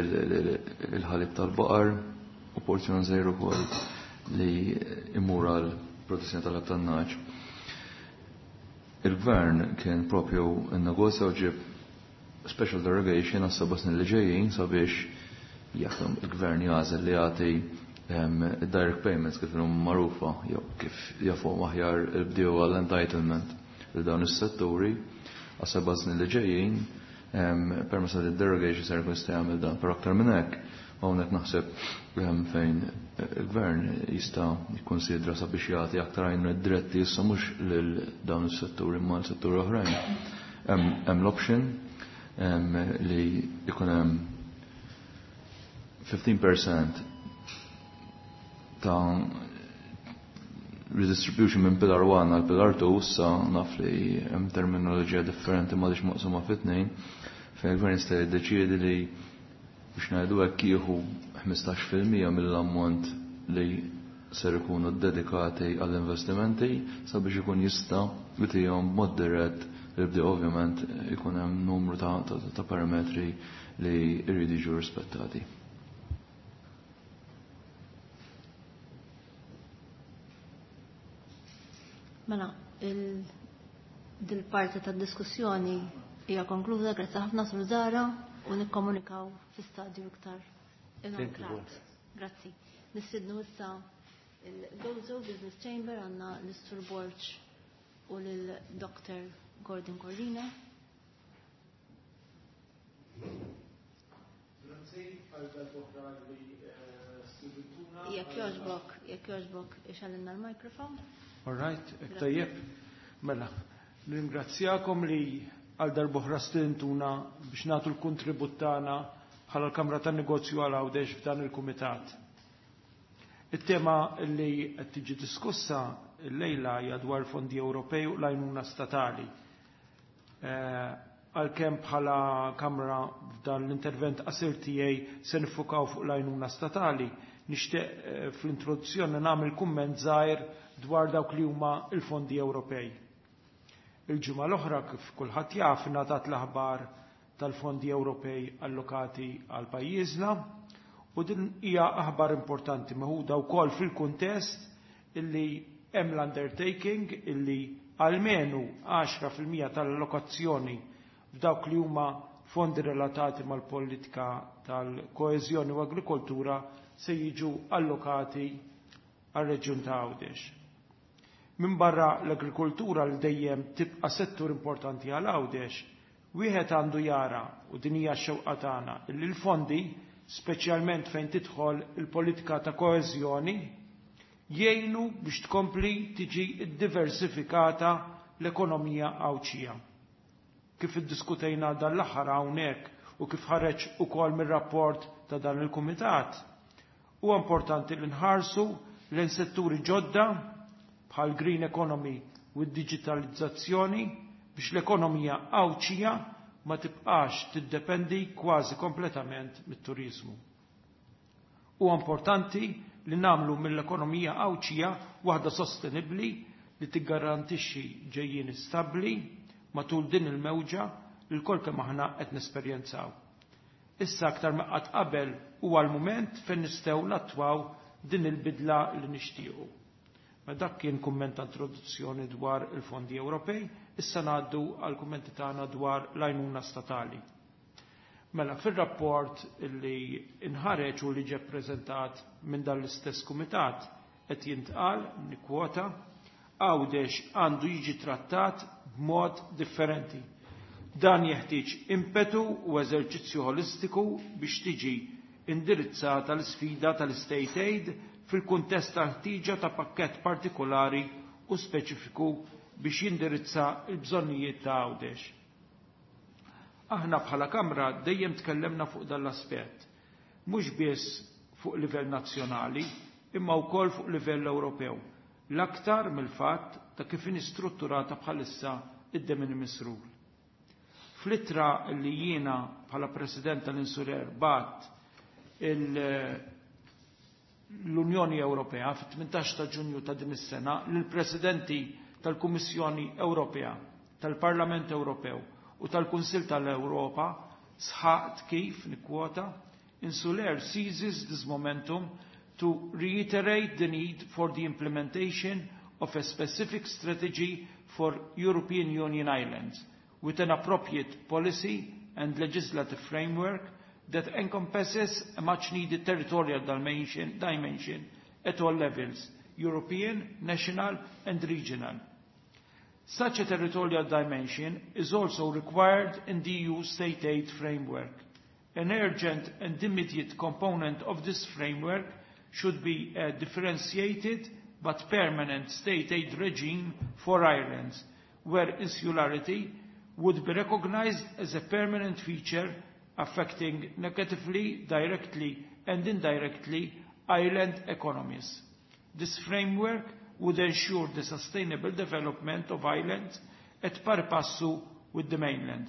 Speaker 5: il-ħalib tal-baqar u porzjon żgħir ukoll li imur għal protezzjoni tal-ħalib tan-nagħaġ. Il-gvern kien propju n-negozja u ġib special derogation għas 7 snin li ġejjin sabiex jekk il-gvern jagħżel li jagħti direct payments kif huma magħrufa jew kif jafuhom aħjar il-bdiewa għall-entitlement li dawn is-setturi għas 7 snin li ġejjin permezz ta' derogation ser jkun jista' jagħmel dan. Però aktar minn hekk hawnhekk naħseb fejn il-gvern jista' jikkonsidra sabiex jagħti aktar għajnuna diretti issa mhux lil dawn is-setturi imma l-setturi oħrajn. Hemm l-option li jkun hemm 15% ta' redistribution minn Pillar 1 għal Pillar 2, issa naf li hemm terminoloġija differenti ma maqsuma fit-tnejn, fejn il-gvern jista' jiddeċiedi li biex ngħidu hekk jieħu 15% mill-ammont li ser ikunu dedikati għall-investimenti sabiex ikun jista' jtihom b'mod dirett li bdew ovvjament ikun hemm numru ta', ta, ta parametri li jridu jiġu rispettati.
Speaker 1: Mela, dil-parti tad-diskussjoni hija konkluża, grazzi ħafna Sur Zara u nikkomunikaw fi stadju iktar inoltrat. Grazzi. Nistidnu issa il-Gozo Business Chamber għandna l-Sur Borg u lil-Dr. Gordon Corlina.
Speaker 6: Grazzi għal dal-oħra li stidintuna.
Speaker 1: Jekk jogħġbok, jekk jogħġbok ixgħalilna l-mikrofon.
Speaker 6: All right, hekk tajjeb. Mela, nirringrazzjakom li għal darb'oħra stidintuna biex nagħtu l-kontribut tagħna bħala l-Kamra tan-Negozju għal Għawdex f'dan il-Kumitat. It-tema li qed tiġi diskussa llejla hija dwar fondi Ewropej u l-għajnuna statali. Għalkemm bħala Kamra f'dan l-intervent qasir tiegħi se nifukaw fuq l-għajnuna statali, nixtieq fl-introduzzjoni nagħmel kumment żgħir dwar dawk li huma l-fondi Ewropej. Il-ġimgħa l-oħra kif kulħadd jaf ingħatat l-aħbar tal-fondi Ewropej allokati għal pajjiżna u din hija aħbar importanti meħuda wkoll fil-kuntest illi hemm l-undertaking illi almenu 10% tal-allokazzjoni f'dawk li huma fondi relatati mal-politika tal-koeżjoni u agrikoltura se jiġu allokati għal-reġjun ta' Għawdex. Min barra l-agrikoltura li dejjem tibqa' settur importanti għal Għawdex, wieħed għandu jara u din hija x-xewqa tagħna illi l-fondi, speċjalment fejn tidħol il-politika ta' koeżjoni, jgħinu biex tkompli tiġi diversifikata l-ekonomija Għawdxija. Kif iddiskutejna dan l-aħħar hawnhekk u kif ħareġ ukoll mir-rapport ta' dan il-kumitat, huwa importanti li nħarsu lejn setturi ġodda bħal green economy u d-digitalizzazzjoni biex l-ekonomija Għawdxija ma tibqax tiddependi kważi kompletament mit-turizmu. Huwa importanti li nagħmlu mill-ekonomija Għawdxija waħda sostenibbli li tiggarantixxi ġejjieni stabbli matul din il-mewġa li lkoll kemm aħna qed nesperjenzaw. Issa aktar ma qatt qabel huwa l-mument fejn nistgħu nattwaw din il-bidla li nixtiequ. Ma dak kien kumment ta' introduzzjoni dwar il-fondi Ewropej, issa ngħaddu għal kummenti tagħna dwar l-għajnuna statali. Mela fir-rapport li inħareġ u li ġie ppreżentat minn dan l-istess kumitat qed jintqal nikkwota Għawdex għandu jiġi trattat b'mod differenti. Dan jeħtieġ impetu u eżerċizzju holistiku biex tiġi indirizzata l-sfida tal-state aid fil-kuntest ta' ħtieġa ta' pakkett partikolari u speċifiku biex jindirizza l-bżonnijiet ta' Għawdex. Aħna bħala Kamra dejjem tkellemna fuq dan l-aspett, mhux biss fuq livell nazzjonali, imma wkoll fuq livell Ewropew, l-aktar mill-fatt ta' kif inhi strutturata bħalissa id-de minimis rule. Fl-ittra li jiena bħala President tal-Insurer bat l-Unjoni Ewropea fit-18 ta' Ġunju ta' din is-sena lill-Presidenti tal-Kummissjoni Ewropea, tal-Parlament Ewropew u tal-Kunsill tal-Ewropa sħaqt kif nikkwota Insular seizes this momentum to reiterate the need for the implementation of a specific strategy for European Union islands with an appropriate policy and legislative framework that encompasses a much-needed territorial dimension at all levels, European, national and regional. Such a territorial dimension is also required in the EU state aid framework. An urgent and immediate component of this framework should be a differentiated but permanent state aid regime for islands, where insularity would be recognized as a permanent feature affecting negatively, directly and indirectly island economies. This framework would ensure the sustainable development of islands at pari passu with the mainland.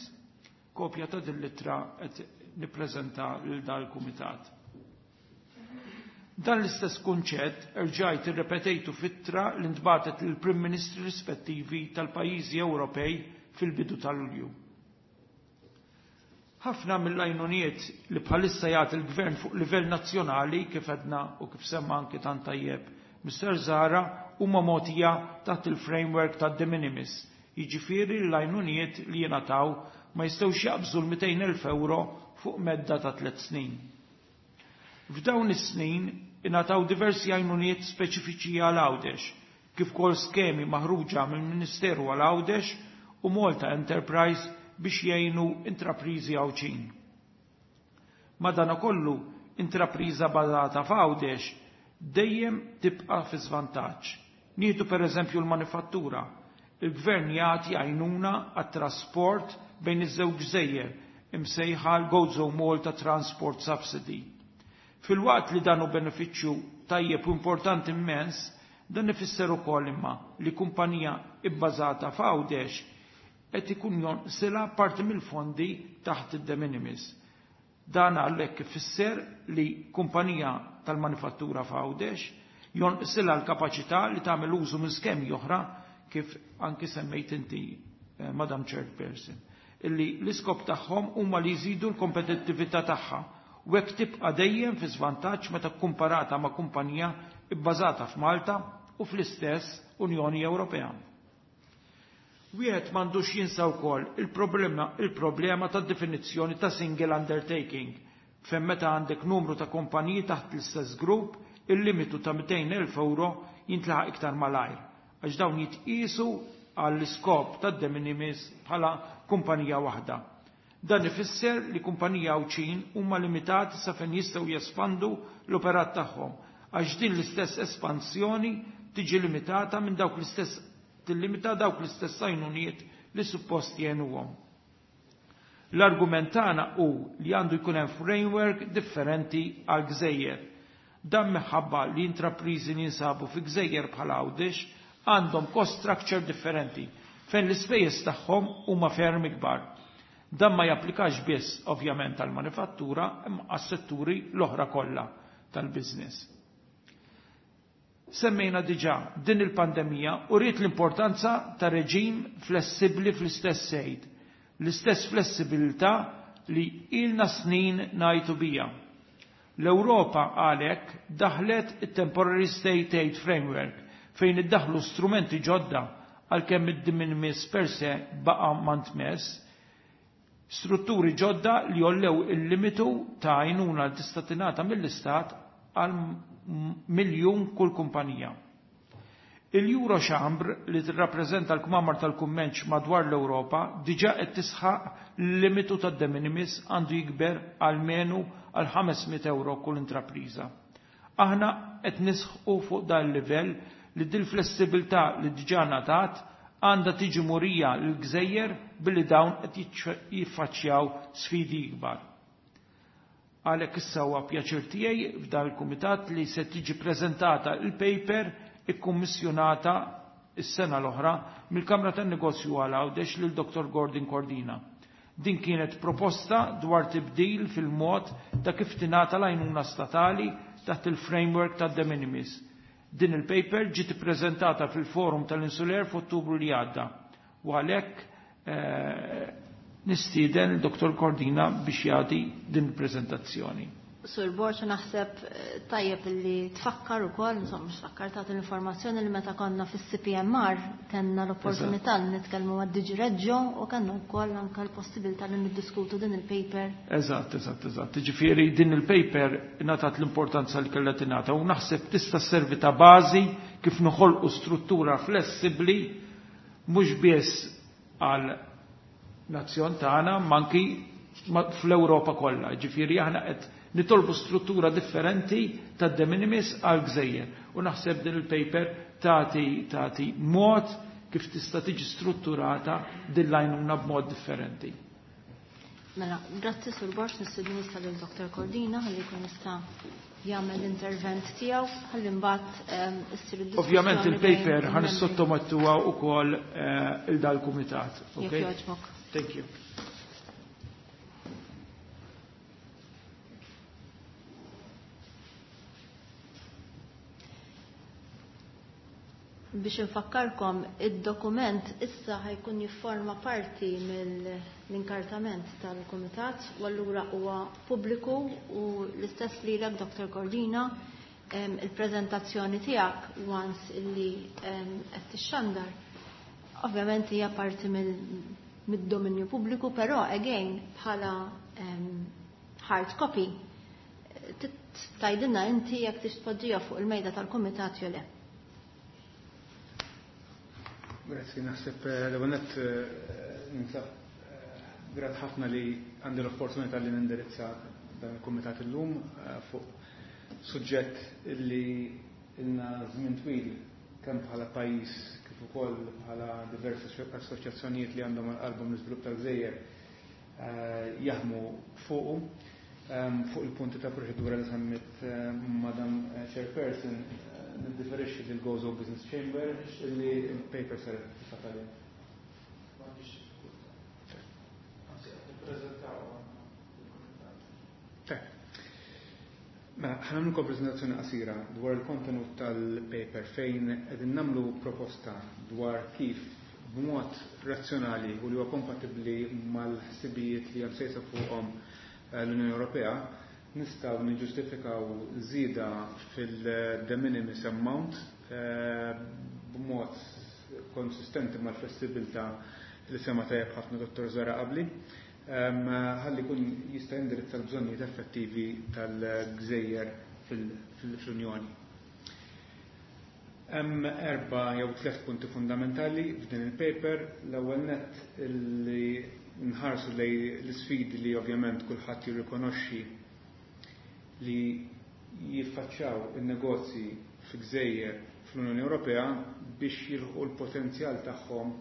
Speaker 6: Kopja ta' din l-ittra qed nippreżenta lil dal-kumitat. Dan l-istess kunċett erġajt irrepetejtu f'ittra li ntbagħtet lill-Prim Ministri rispettivi tal-pajjiżi Ewropej fil-bidu ta' Lulju. Ħafna mill-għajnuniet li bħalissa jagħti l-Gvern fuq livell nazzjonali, kif għedna u kif semma anki tant tajjeb Mr. Zahra, huma mogħtija taħt il-framework tad de minimis, jiġifieri l-għajnuniet li jingħataw ma jistgħux jaqbżu l-200,000 euro fuq medda ta' 3 snin. F'dawn is-snin ingħataw diversi għajnuniet speċifiċi għal Għawdex, kif ukoll skemi maħruġa mill-Ministeru għal Għawdex u Malta Enterprise biex jgħinu intrapriżi Għawdxin. Madanakollu, intrapriża bażata f'Għawdex dejjem tibqa' fi żvantaġġ. Nieħdu pereżempju l-manifattura. Il-Gvern jagħti għajnuna għat-trasport bejn iż-żewġ gżejjer imsejħa l-Gozo Malta Transport Subsidy. Filwaqt li dan hu benefiċċju tajjeb u importanti immens, dan ifisser ukoll imma li kumpanija ibbażata f'Għawdex qed ikun jonqsilha parti mill-fondi taħt id-de minimis. Dan għalhekk ifisser li kumpanija tal-manifattura f'Għawdex jonqsilha l-kapaċità li tagħmel użu minn skemi oħra kif anki semmejt inti, Madam Chairperson, illi l-iskop tagħhom huma li jżidu l-kompetittività tagħha u hekk tibqa' dejjem fi żvantaġġ meta kkumparata ma' kumpanija bbażata f'Malta u fl-istess Unjoni Ewropea. Wieħed m'għandux jinsa wkoll il-problema tad-definizzjoni ta' single undertaking, fejn meta għandek numru ta' kumpaniji taħt l-istess grupp, il-limitu ta' 200,000 euro jintlaħaq iktar malajr, għax dawn jitqisu għall-iskop tad de minimis bħala kumpanija waħda. Dan ifisser li kumpanija Għawdxin huma limitati sa fejn jistgħu jespandu l-operat tagħhom, għax din l-istess espansjoni tiġi limitata minn dawk l-istess tillimita dawk l-istess għajnuniet li suppost jgħinuhom. L-argument tagħna hu li għandu jkun hemm framework differenti għal gżejjer. Dan minħabba li intrapriżi li jinsabu fi gżejjer bħal Għawdex għandhom cost structure differenti fejn l-ispejjeż tagħhom huma ferm ikbar. Dan ma japplikax biss ovvjament għall-manifattura imma għas-setturi l-oħra kollha tal-business. Semmejna diġà din il-pandemija u rrit l-importanza ta' reġim flessibbli fl-istess sejt, l-istess flessibilità li ilna snin ngħidu bija. L-Ewropa għalhekk daħlet it-Temporary State Aid Framework fejn iddaħlu strumenti ġodda għalkemm id-de minimis per se baqa' ma ntmess, strutturi ġodda li jollew il-limitu ta' għajnuna li tista' tingħata mill-Istat għal miljun kull kumpanija. Il-Eurochambre li tirrappreżenta l-kmamar tal-kummerċ madwar l-Ewropa diġà qed tisħaq l-limitu tad-de minimis għandu jikber għalmenu għal 500 euro kull intrapriża. Aħna qed nisħqu fuq dan il-livell li dil flessibilità li diġà ngħatat għandha tiġi murija l-gżejjer billi dawn qed jiffaċċjaw sfidi ikbar. Għalhekk issa huwa pjaċir tiegħi f'dan il-kumitat li se tiġi preżentata il-paper ikkummissjonata s-sena l-oħra mill-Kamra tan-Negozju għal Għawdex lil Dr. Gordon Cordina. Din kienet proposta dwar tibdil fil-mod ta' kif tingħata l-għajnuna statali taħt il-framework ta' de minimis. Din il-paper ġiet ippreżentata fil-forum tal-Insular f'Ottubru li għadda. U għalhekk nistieden il-Dr. Cordina biex jagħti din il-preżentazzjoni.
Speaker 1: Sur Borg, naħseb tajjeb li tfakkar ukoll, insomma, mhux tfakkar, tagħti l-informazzjoni li meta konna fis-CPMR kellna l-opportunità li nitkellmu mad DG Reggio u kellna wkoll anke l-possibilità li niddiskutu din il-paper.
Speaker 6: Eżatt, eżatt, eżatt. Ġifieri din il-paper ngħatat l-importanza li kellha tingħata u naħseb tista' sservi ta' bażi kif noħolqu struttura flessibbli mhux biss għal nazzjon tagħna ma anki fl-Ewropa kollha. Ġifieri aħna qed nitolbu struttura differenti ta' de minimis għal gżejjer. U naħseb din il-paper tagħti mod kif tista' tiġi strutturata din l-għajnuna b'mod differenti.
Speaker 1: Mela, grazzi Sur Borg, nistiednu issa lil Dr. Cordina ħalli jkun jista' jagħmel l-intervent tiegħu ħalli mbagħad issir id-diskussjoni.
Speaker 6: Ovvjament il-paper
Speaker 1: bejn
Speaker 6: ħa
Speaker 1: il-membri.
Speaker 6: nissottomettuha wkoll il dal-kumitat.
Speaker 1: Jekk
Speaker 6: Okay?
Speaker 1: jogħġbok.
Speaker 6: Thank you.
Speaker 1: Biex infakkarkom, id-dokument issa ħajkun jifforma parti mill-inkartament tal-Kumitat u allura huwa pubbliku u l-istess lilek Dr. Cordina il-preżentazzjoni tiegħek once illi qed tixxandar. Ovvjament hija parti mid-dominju pubbliku, però again bħala hard copy tgħidilna inti jekk tix tpoġġiha fuq il-mejda tal-kumitat jew le.
Speaker 7: Grazzi, naħseb l-ewwel nett ninsab grat ħafna li għandi l-opportunità li nindirizza dan il-kumitat illum fuq suġġett li ilna żmien twil kemm bħala pajjiż kif ukoll bħala diversi assoċjazzjonijiet li għandhom għal qalbhom l-iżvilupp tal-gżejjer jaħdmu fuqu. Fuq il-punti ta' proċedura li semmit Madam Chairperson, niddiferixxi lil Gozo Business Chamber li l-paper saret fil-fatt għalihom. Mela, ħa nagħmlilkom preżentazzjoni qasira dwar il-kontenut tal-paper fejn qegħdin nagħmlu proposta dwar kif b'mod razzjonali u li huwa kompatibbli mal-ħsibijiet li hemm sejsa fuqhom l-Unjoni Ewropea nistgħu niġġustifikaw żieda fil-de minimis amount b'mod konsistenti mal-flessibilità li sema tajjeb ħafna Dottor Zara qabli, ħalli jkun jista' jindirizza l-bżonnijiet effettivi tal-gżejjer fl-Unjoni. Hemm erba' jew tliet punti fundamentali f'din il-paper. L-ewwel nett li nħarsu lej l-isfidi li ovvjament kulħadd jirrikonoxxi li jiffaċċjaw in-negozji fi gżejjer fl-Unjoni Ewropea biex jilħqu l-potenzjal tagħhom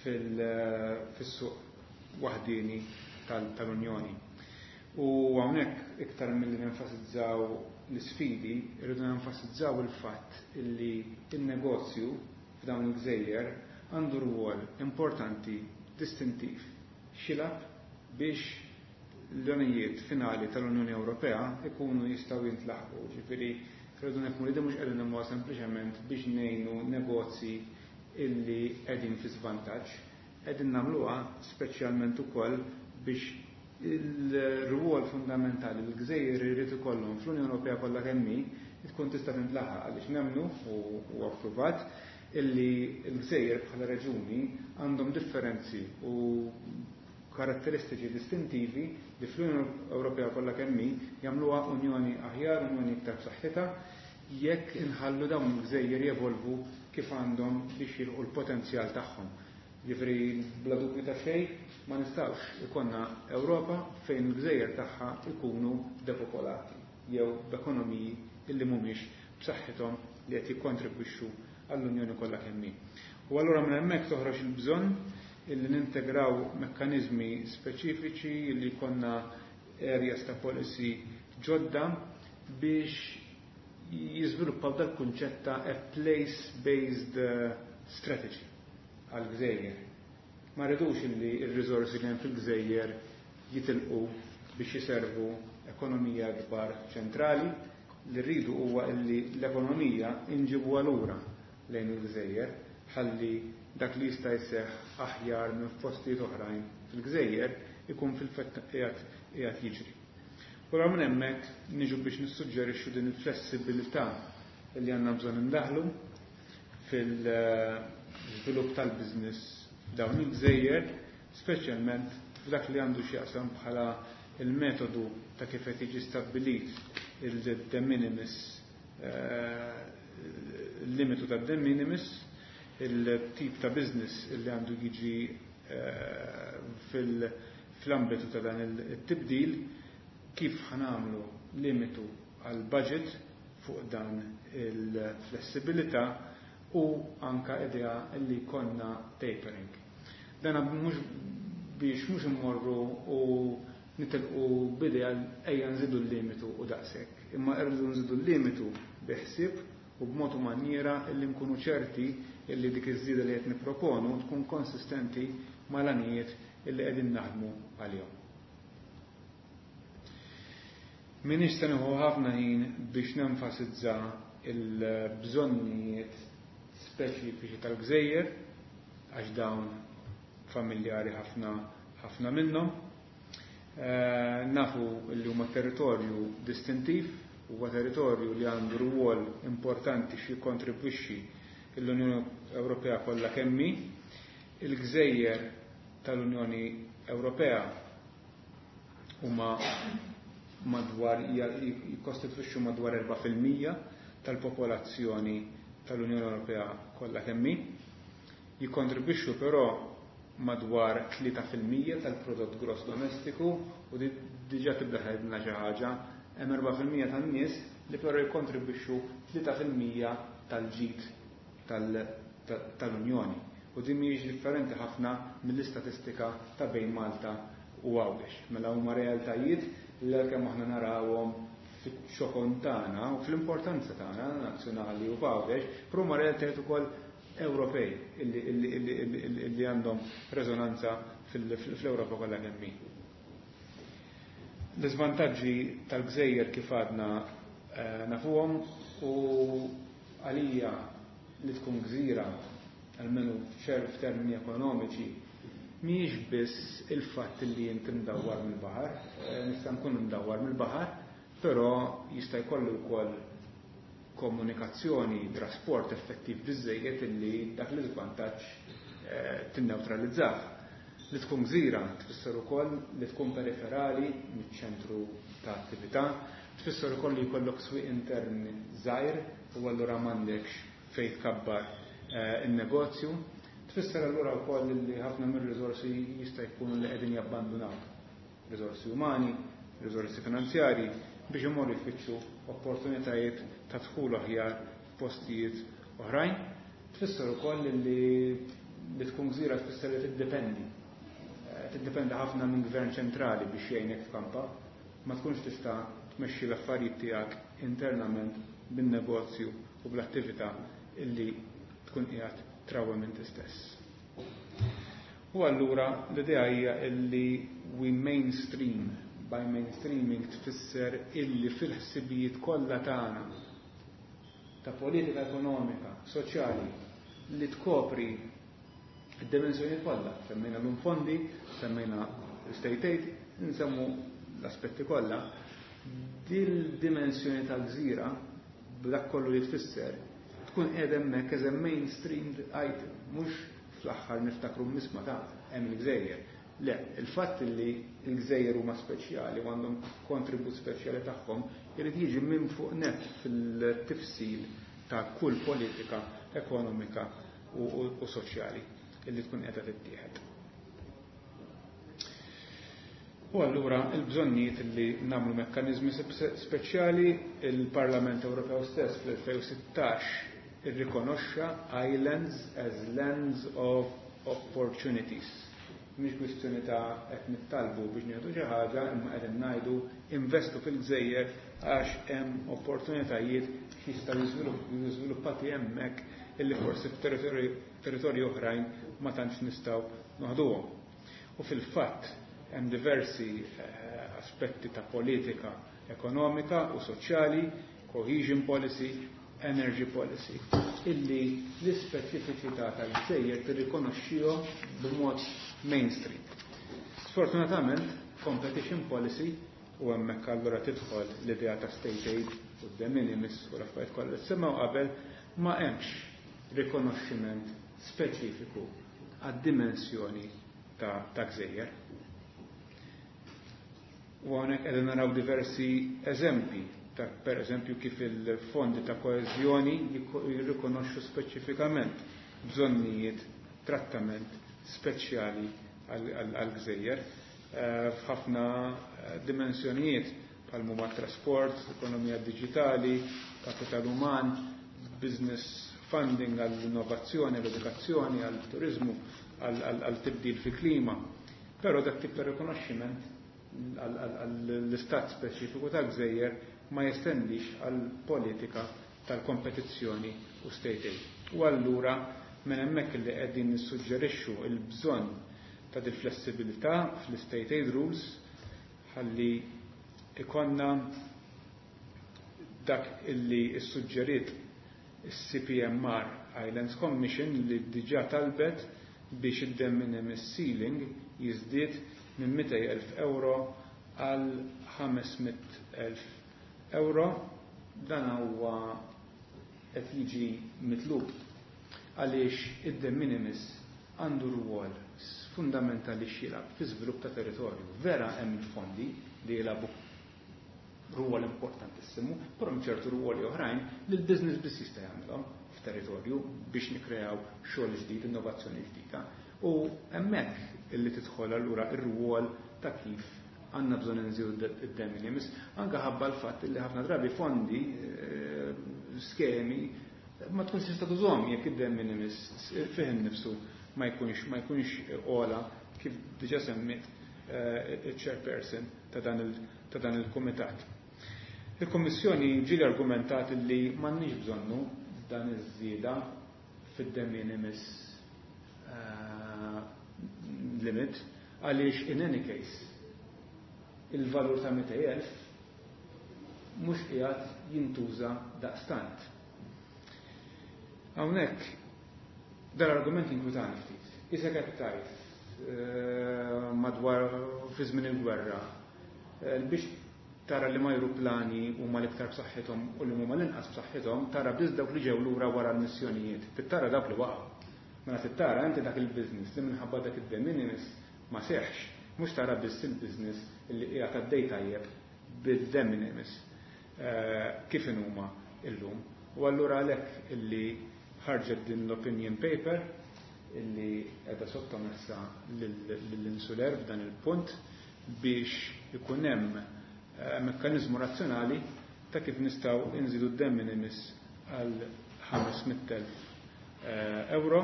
Speaker 7: fis-suq waħdieni tal-Unjoni. U hawnhekk iktar milli nenfasizzaw l-isfidi, irridu nenfasizzaw il-fatt illi il-negozju f'dawn il-gżejjer għandu rwol importanti distintiv x'jilgħab biex l-għanijiet finali tal-Unjoni Ewropea ikunu jistgħu jintlaħqu. Ġifieri rridu nifhmu li mhux qegħdin nagħmluha sempliċement biex ngħinu negozji illi qegħdin fi żvantaġġ, qegħdin nagħmluha speċjalment ukoll biex il-rwol fundamentali li l-gżejjer irid ikollhom fl-Unjoni Ewropea kollha kemm hi tkun tista' tintlaħaq, għaliex nemmnu u approvat illi l-gżejjer bħala reġuni għandhom differenzi u karatteristiċi distintivi li fl-Unjoni Ewropea kollha kemm hi jagħmluha unjoni aħjar, unjoni iktar b'saħħitha jekk inħallu dawn il-gżejjer jevolvu kif għandhom biex jilħqu l-potenzjal tagħhom. Jiġifieri bla dubju ta' xejn ma nistgħux ikollna Ewropa fejn il-gżejjer tagħha ikunu depopolati jew b'ekonomiji illi mhumiex b'saħħithom li qed jikkontribwixxu għall-Unjoni kollha kemm hi. U allura minn hemmhekk toħroġ il-bżonn illi nintegraw mekkaniżmi speċifiċi li jkollna areas ta' policy ġodda biex jiżviluppaw dal-kunċett ta' a place-based strategy għal-gżejjer. Ma rridux illi r-riżorsi li hemm fil-gżejjer jitilqu biex jiservu ekonomija kbar ċentrali, li rridu huwa illi l-ekonomija inġibuha lura lejn il-gżejjer ħalli dak li jista' jseħħ aħjar minn postijiet oħrajn fil-gżejjer ikun fil-fatt qiegħed jiġri. U minn hemmhekk niġu biex nissuġġerixxu din il-flessibilità li għandna bżonn indaħlu fil-żvilupp tal-business f'dawn il-gżejjer, speċjalment f'dak li għandu x'jaqsam bħala il-metodu ta' kif qed jiġi stabbilit il-de minimis, il-limitu ta' de minimis, il-tip ta' business li għandu jiġi fl-ambitu ta' dan il-tibdil, kif ħanamlu limitu għal budget fuq dan il-flessibilità u anka idea li konna tapering. Dan mhux biex mhux immorru u nitilqu b'idea ejja nżidu l-limitu u daqshekk, imma rridu nżidu l-limitu bi ħsieb u b'mod u maniera illi nkunu ċerti illi dik iż-żieda li qed nipproponu tkun konsistenti mal-għanijiet illi qegħdin naħdmu għalihom. Minix se nieħu ħafna ħin biex nenfasizza il-bżonnijiet speċifiċi tal-gżejjer, għax dawn familjari ħafna ħafna minnhom. Nafu li huma territorju distintiv, huwa territorju li għandu rwol importanti xi jikkontribwixxi l-Unjoni Ewropea kollha kemm hi. Il-gżejjer tal-Unjoni Ewropea huma madwar jikkostitwixxu madwar 4% tal-popolazzjoni tal-Unjoni Ewropea kollha kemm hi. Jikkontribwixxu però madwar 3% tal-prodott gross domestiku u diġà tibda tgħidilna xi ħaġa, hemm 4% tan-nies li però jikkontribwixxu 3% tal-ġid tal-Unjoni. U din mhijiex differenti ħafna mill-istatistika ta' bejn Malta u Għawdex. Mela huma realtajiet li għalkemm aħna narawhom fix-xokon tagħna u fl-importanza tagħna nazzjonali u f'Għawdex, però huma realtajiet ukoll Ewropej illi għandhom reżonanza fl-Ewropa kollha kemm hi. L-iżvantaġġi tal-gżejjer kif għadna nafuhom u għalija li tkun gżira, almenu f'termini ekonomiċi, mhijiex biss il-fatt li inti mdawwar mill-baħar, nista' nkun mdawwar mill-baħar, però jista' jkollu wkoll komunikazzjoni, trasport effettiv biżżejjed illi dak l-iżvantaġġ tinnewtralizzah. Li tkun gżira tfisser ukoll li tkun periferali miċ-ċentru ta' attività, tfisser ukoll li jkollok swieq intern żgħir u allura m'għandekx fejn tkabbar in-negozju, tfisser allura wkoll li ħafna mir-riżorsi jista' jkunu li qegħdin jabbandunawk. Riżorsi umani, riżorsi finanzjarji biex imorru jfittxu opportunitajiet ta' dħul aħjar f'postijiet oħrajn. Tfisser ukoll li li tkun gżira tfisser li tiddependi. Tiddependi ħafna minn gvern ċentrali biex jgħinek f'kampa. Ma tkunx tista' tmexxi l-affarijiet tiegħek internament bin-negozju u bl-attività illi tkun qiegħed trawwem inti stess. U allura l-idea hija illi we mainstream. By mainstreaming tfisser illi fil-ħsibijiet kollha tagħna ta' politika ekonomika, soċjali, li tkopri id-dimensjoni kollha. Semmejna l fondi, semmejna state aid, nsemmu l-aspetti kollha. Dil-dimensjoni tal-gżira, b'dak kollu li tfisser, tkun qiegħda hemmhekk as a mainstreamed item, mhux fl-aħħar niftakru misma ta' hemm il-gżejjer. Le, il-fatt li l-gżejjer huma speċjali u għandhom kontribut speċjali tagħhom irid jiġi minn fuq net fil-tifsil ta' kull politika ekonomika u soċjali illi tkun qiegħda tittieħed. U allura il-bżonnijiet li nagħmlu mekkaniżmi speċjali, il-Parlament Ewropew stess fl-2016 irrikonoxxa islands as lands of opportunities. Mhix kwistjoni ta' qed nittalbu biex nieħdu xi ħaġa, imma qed ngħidu investu fil-gżejjer għax hemm opportunitajiet jistgħu jiżviluppati hemmhekk illi forsi f'territorji oħrajn ma tantx nistgħu noħduhom. U fil-fatt hemm diversi aspetti ta' politika ekonomika u soċjali, cohesion policy, energy policy, illi l-ispeċifiċità tal-gżejjer tirrikonoxxihom b'mod mainstream. Sfortunatament, competition policy, u hemmhekk allura tidħol l-idea ta' state aid u de minimis u l-affarijiet kollha li semmew qabel, ma hemmx rikonoxximent speċifiku għad-dimensjoni ta' gżejjer. U hawnhekk qegħdin naraw diversi eżempji ta' per eżempju kif il-fondi ta' koeżjoni jirrikonoxxu speċifikament bżonnijiet trattament speċjali għal-gżejjer f'ħafna dimensjonijiet bħal huma trasport, ekonomija diġitali, kapital uman, business funding għall-innovazzjoni, għall-edukazzjoni, għall-turizmu, għall-tibdil fil-klima. Però dak tip ta' rikonoxximent għall-istat speċifiku ta' gżejjer ma jestendix għall-politika tal-kompetizzjoni u state aid. U allura minn hemmhekk li qegħdin nissuġġerixxu l-bżonn ta' di flessibilità fl-state aid rules ħalli ikonna dak illi issuġġerit is-CPMR Islands Commission li diġà talbet biex id-de minimis ceiling jiżdied minn 200,000 euro għal 500,000 euro. Dan huwa qed jiġi mitlub għaliex id-de minimis għandu rwol fundamentali x'jilgħab fi żvilupp ta' territorju. Vera hemm il-fondi li jilagħbu rwol importantissimu, però hemm ċertu rwoli oħrajn li l-business biss jista' jagħmilhom f'territorju biex nikkreaw xogħol ġdid, innovazzjoni ġdida. U hemmhekk illi tidħol allura ir-rwol ta' kif għandna bżonn inżidu id-de minimis, anke ħabba l-fatt li ħafna drabi fondi, skemi, ma tkunx tista' tużhom jekk id-de minimis fih innifsu ma jkunx ogħla, kif diġà semmit il-chairperson ta' dan il-kumitat. Il-Kommissjoni ġieli argumentat li m'għandniex bżonnu dan iż-żieda fid-de minimis limit għaliex in any case il-valur ta' 200,000 mhux qiegħed jintuża daqstant. Hawnhekk dal-argument inkwitani ftit. Issa qed tgħid madwar fi żmien il-gwerra biex tara li ajruplani huma l-iktar b'saħħithom u li huma l-inqas b'saħħithom, tara biss dawk li ġew lura wara l-missjonijiet. Tittara dawk li waqgħu. Mela tittara inti dak il-business li minħabba dak id-de minimis ma seħx, mhux tara biss il-business li qiegħed għaddej tajjeb bil-de minimis kif huma illum. U allura għalhekk illi ħarġet din l-opinion paper illi qiegħda sottomessa lill-Insular f'dan il-punt biex ikun hemm mekkanizmu razzjonali ta' kif nistgħu inżidu d-de minimis għal 500,000 euro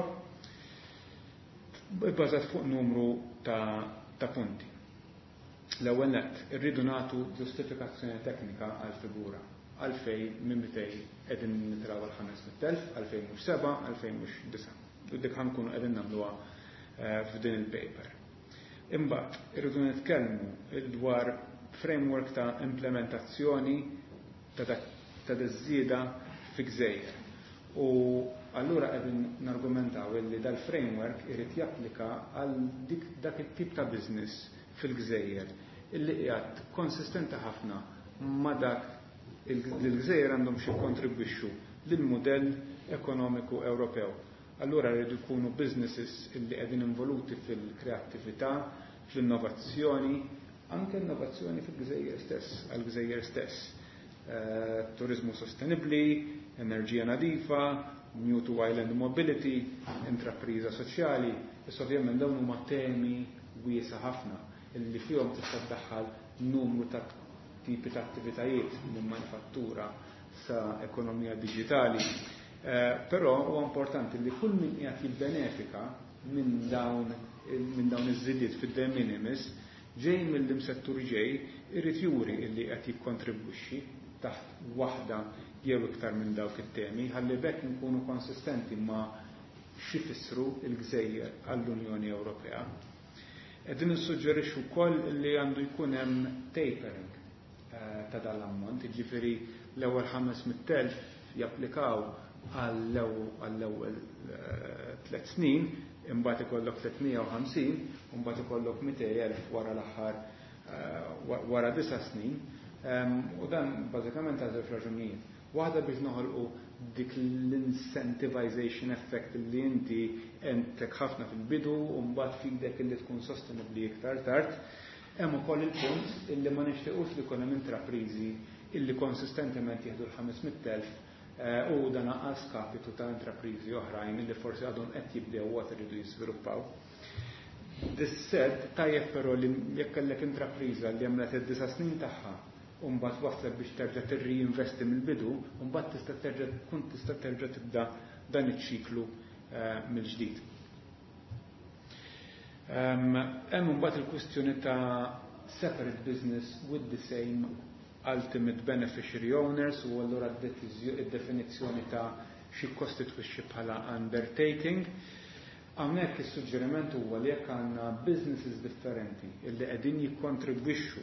Speaker 7: bbażat fuq numru ta' punti. L-ewwel nett, irridu nagħtu ġustifikazzjoni teknika għal figura għalfejn minn 200 qegħdin nitilgħu għal 500,000, għalfejn mhux 7, għalfejn mhux 9. U dik ħa nkunu qegħdin nagħmluha f'din il-paper. Imbagħad irridu nitkellmu dwar framework ta' implementazzjoni ta' diż-żieda fi gżejjer. U allura qegħdin nargumentaw illi dal-framework irid japplika għal dik dak it-tip ta' business fil-gżejjer illi qiegħed konsistenti ħafna ma' dak li l-gżejjer għandhom xi kontribwixxu lill-mudell ekonomiku Ewropew. Allura rridu jkunu businesses illi qegħdin involuti fil-kreattività, fl-innovazzjoni, anke innovazzjoni fil-gżejjer stess, għal-gżejjer stess. Turizmu sostenibli, enerġija nadifa, new to island mobility, intrapriża soċjali. Issa ovvjament dawn huma temi wiesa ħafna illi fihom tista' tdaħħal numru ta' tipi ta' attivitajiet minn manifattura sa ekonomija diġitali. Però huwa importanti li kull min qiegħed jibbenefika minn dawn iż-żidiet fid-de minimis ġej mill-settur ġej irid juri illi qed jikkontribwixxi taħt waħda jew iktar minn dawk it-temi ħalli bekk nkunu konsistenti ma' x'ifissru il-gżejjer għall-Unjoni Ewropea. Qegħdin nissuġġerixxu wkoll li għandu jkun hemm tapering ta' dal-ammont, jiġifieri l-ewwel 500,000 japplikaw għall-ewwel 3 snin, imbagħad ikollok 350, u mbagħad ikollok 200,000 wara l-aħħar wara 9 snin. U dan bażikament għal żewġ raġunijiet. Waħda biex noħolqu dik l-incentivization effect li inti entek ħafna fil-bidu u mbagħad fidek li tkun sostenibbli iktar tard. Hemm ukoll il-punt illi ma nixtiequx li jkun hemm intrapriżi illi konsistentement jieħdu l-500,000 u dan għal skapitu ta' intrapriżi oħrajn illi forsi għadhom qed jibdew u għad iridu jiżviluppaw. This said, tajjeb però li jekk kellek intrapriża li għamlet id-9 snin tagħha u mbagħad waslet biex terġa' tirriinvesti mill-bidu, u mbagħad tista' terġa' tkun tista' terġa' tibda dan iċ-ċiklu mill-ġdid. Hemm imbagħad il-kwistjoni ta' separate business with the same ultimate beneficiary owners u allura id-definizzjoni ta' xi kostitwixxi bħala undertaking. Hawnhekk is-suġġeriment huwa li jekk għandna businesses differenti illi qegħdin jikkontribwixxu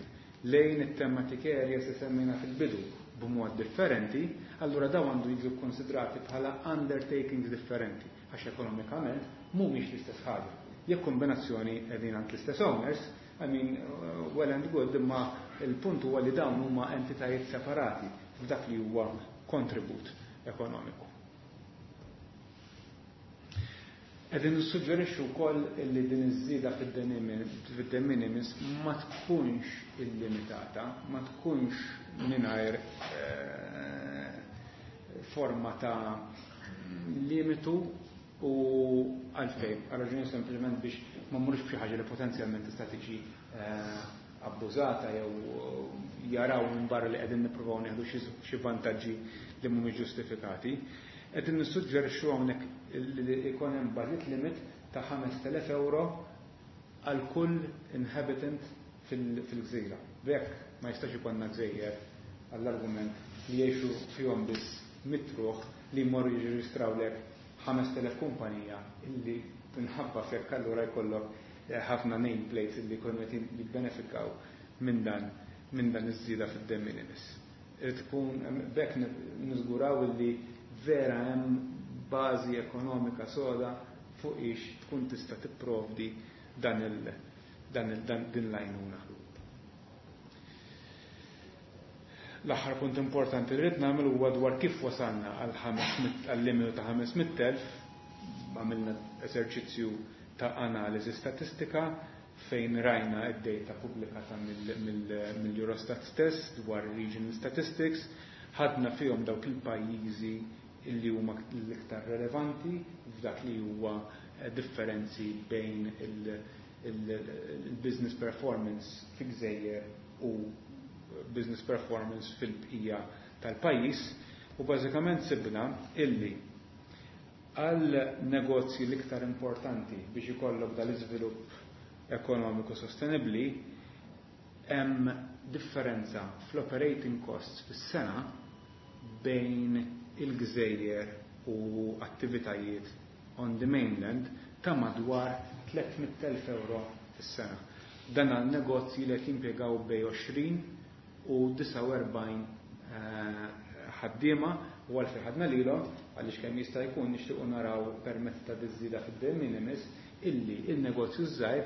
Speaker 7: lejn it-thematic areas li semmejna fil-bidu. b'mod differenti, allura dawn għandu jiġu kkonsidrati bħala undertakings differenti għax ekonomikament mhumiex l-istess ħaġa. Jekk kombinazzjoni qegħdin għand l-istess owners, I mean, well and good, imma il-punt huwa li dawn huma entitajiet separati f'dak li huwa kontribut ekonomiku. Qegħdin nissuġġerixxu wkoll li din iż-żieda fid-de minimis ma tkunx illimitata, ma tkunx mingħajr eh, forma ta' limitu u għalfejn, għal raġuni sempliċement biex ma mmurux b'xi ħaġa li potenzjalment tista' tiġi eh, abbużata jew jaraw minn barra li qegħdin nippruvaw nieħdu xi vantaġġi li mhumiex ġustifikati. Qegħdin nissuġġerixxu hawnhekk li jkun hemm budget limit ta' 5,000 euro għal kull inhabitant fil-gżira. B'hekk ma jistax ikollna gżejjer għall-argument li jgħixu fihom biss mitruħ li jmorru jirreġistrawlek 5,000 kumpanija illi minħabba f'hekk allura jkollok eh, ħafna nameplates illi jkunu qed jibbenefikaw minn dan minn dan iż-żieda fid-de minimis. Irid tkun b'hekk niżguraw illi vera hemm bażi ekonomika soda fuq ix tkun tista' tipprovdi dan il dan il dan din l-għajnuna. L-aħħar punt importanti li rrid nagħmel huwa dwar kif wasalna għal limitu ta' 500,000. Għamilna eżerċizzju ta' analiżi statistika fejn rajna id-data pubblikata mill-Eurostat stess dwar regional statistics, ħadna fihom dawk il-pajjiżi illi huma l-iktar relevanti f'dak li huwa eh, differenzi bejn il-business performance fi gżejjer u business performance fil-bqija tal-pajjiż u bażikament sibna illi għal negozji l-iktar importanti biex ikollok dal-iżvilupp ekonomiku sostenibli hemm differenza fl-operating costs fis-sena bejn il-gżejjer u attivitajiet on the mainland ta' madwar 300.000 euro fis-sena. Dan għal negozji li qed jimpjegaw bejn 20 u 49 eh, ħaddiema u għalfejn ħadna lilhom għaliex kemm jista' jkun nixtiequ naraw permezz ta' diżida fid-de minimis illi il-negozju żgħir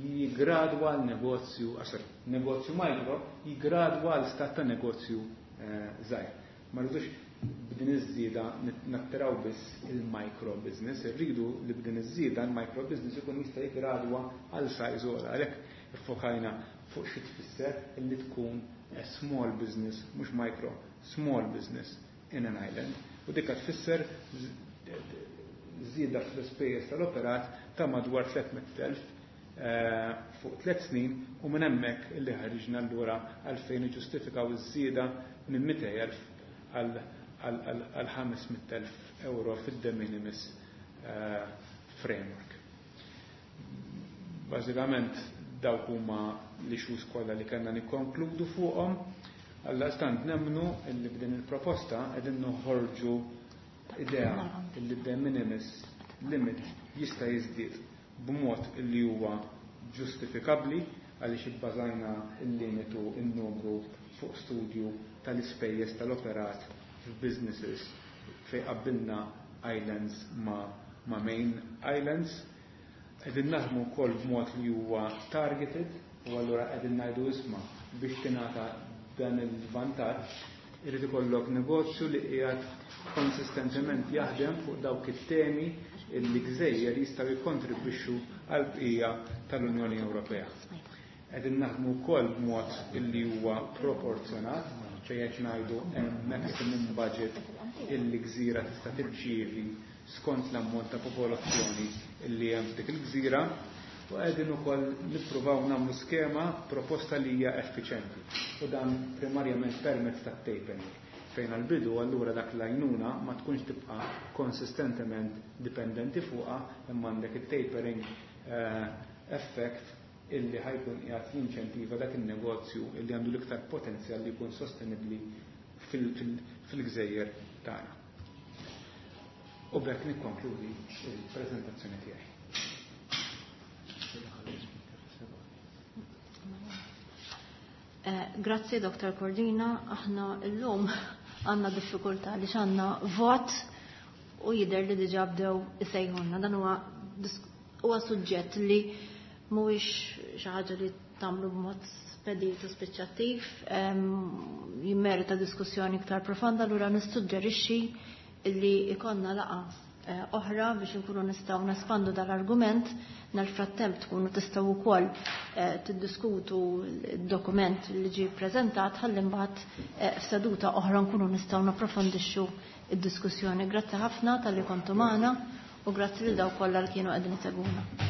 Speaker 7: jigradwa għal negozju, ah, sorry, negozju micro jigradwa għal stat ta' negozju eh, żgħir. Ma rridux b'din iż-żieda nattiraw biss il-micro business, irridu li b'din iż-żieda il-micro business ikun jista' jigradwa għal size ogħla. Għalhekk iffokajna fuq xi tfisser illi tkun a small business, mhux micro, small business in an island. U dikka tfisser żieda fl-ispejjeż tal-operat ta' madwar 300,000 eh, fuq tliet snin u minn hemmhekk illi ħariġna allura għalfejn iġġustifikaw iż-żieda minn 200,000 għal 500,000 euro fid-de minimis eh, framework. Bażikament dawk huma l-issues kollha li kellna nikkonkludu fuqhom. Għaldaqstant nemmnu illi b'din il-proposta qegħdin noħorġu idea illi de minimis limit jista' jiżdied b'mod illi huwa ġustifikabbli għaliex ibbażajna il-limitu in-numru fuq studju tal-ispejjeż tal-operat f'businesses fejn qabbilna islands ma' main islands. Qegħdin naħdmu wkoll b'mod li huwa targeted u allura qegħdin ngħidu isma' biex tingħata dan il-vantaġġ irid ikollok negozju li qiegħed konsistentement jaħdem fuq dawk it-temi illi gżejjer jistgħu jikkontribwixxu għal bqija tal-Unjoni Ewropea. Qegħdin naħdmu wkoll b'mod illi huwa proporzjonat, ċej qed ngħidu hemm maximum budget illi gżira tista' tirċievi skont l-ammont ta' popolazzjoni illi hemm f'dik il-gżira u qegħdin ukoll nippruvaw nagħmlu skema proposta li hija effiċenti u dan primarjament permezz tat-tapering fejn għal-bidu allura dak l-għajnuna ma tkunx tibqa' konsistentement dipendenti fuqha imma għandek it-tapering eh, effect illi ħa jkun qiegħed jinċentiva dak il-negozju illi għandu l-iktar potenzjal li jkun sostenibbli fil-gżejjer tagħna. U b'hekk nikkonkludi il-preżentazzjoni tiegħi.
Speaker 1: Grazzi Dr. Cordina, aħna llum għandna diffikultà li għandna vot u jidher li diġà bdew isejħulna. Dan huwa huwa suġġett li mhuwiex xi ħaġa li tagħmlu b'mod spedit u spiċċattiv, jimmerita diskussjoni iktar profonda, allura nissuġġerixxi li ikonna laqa oħra biex nkunu nistgħu nespandu dal-argument. Nel-frattemp tkunu tistgħu wkoll tiddiskutu d-dokument li ġie ppreżentat ħalli mbagħad f'seduta oħra nkunu nistgħu napprofondixxu id-diskussjoni. Grazzi ħafna talli kontu magħna u grazzi lil dawk kollha li kienu qegħdin isegwuna.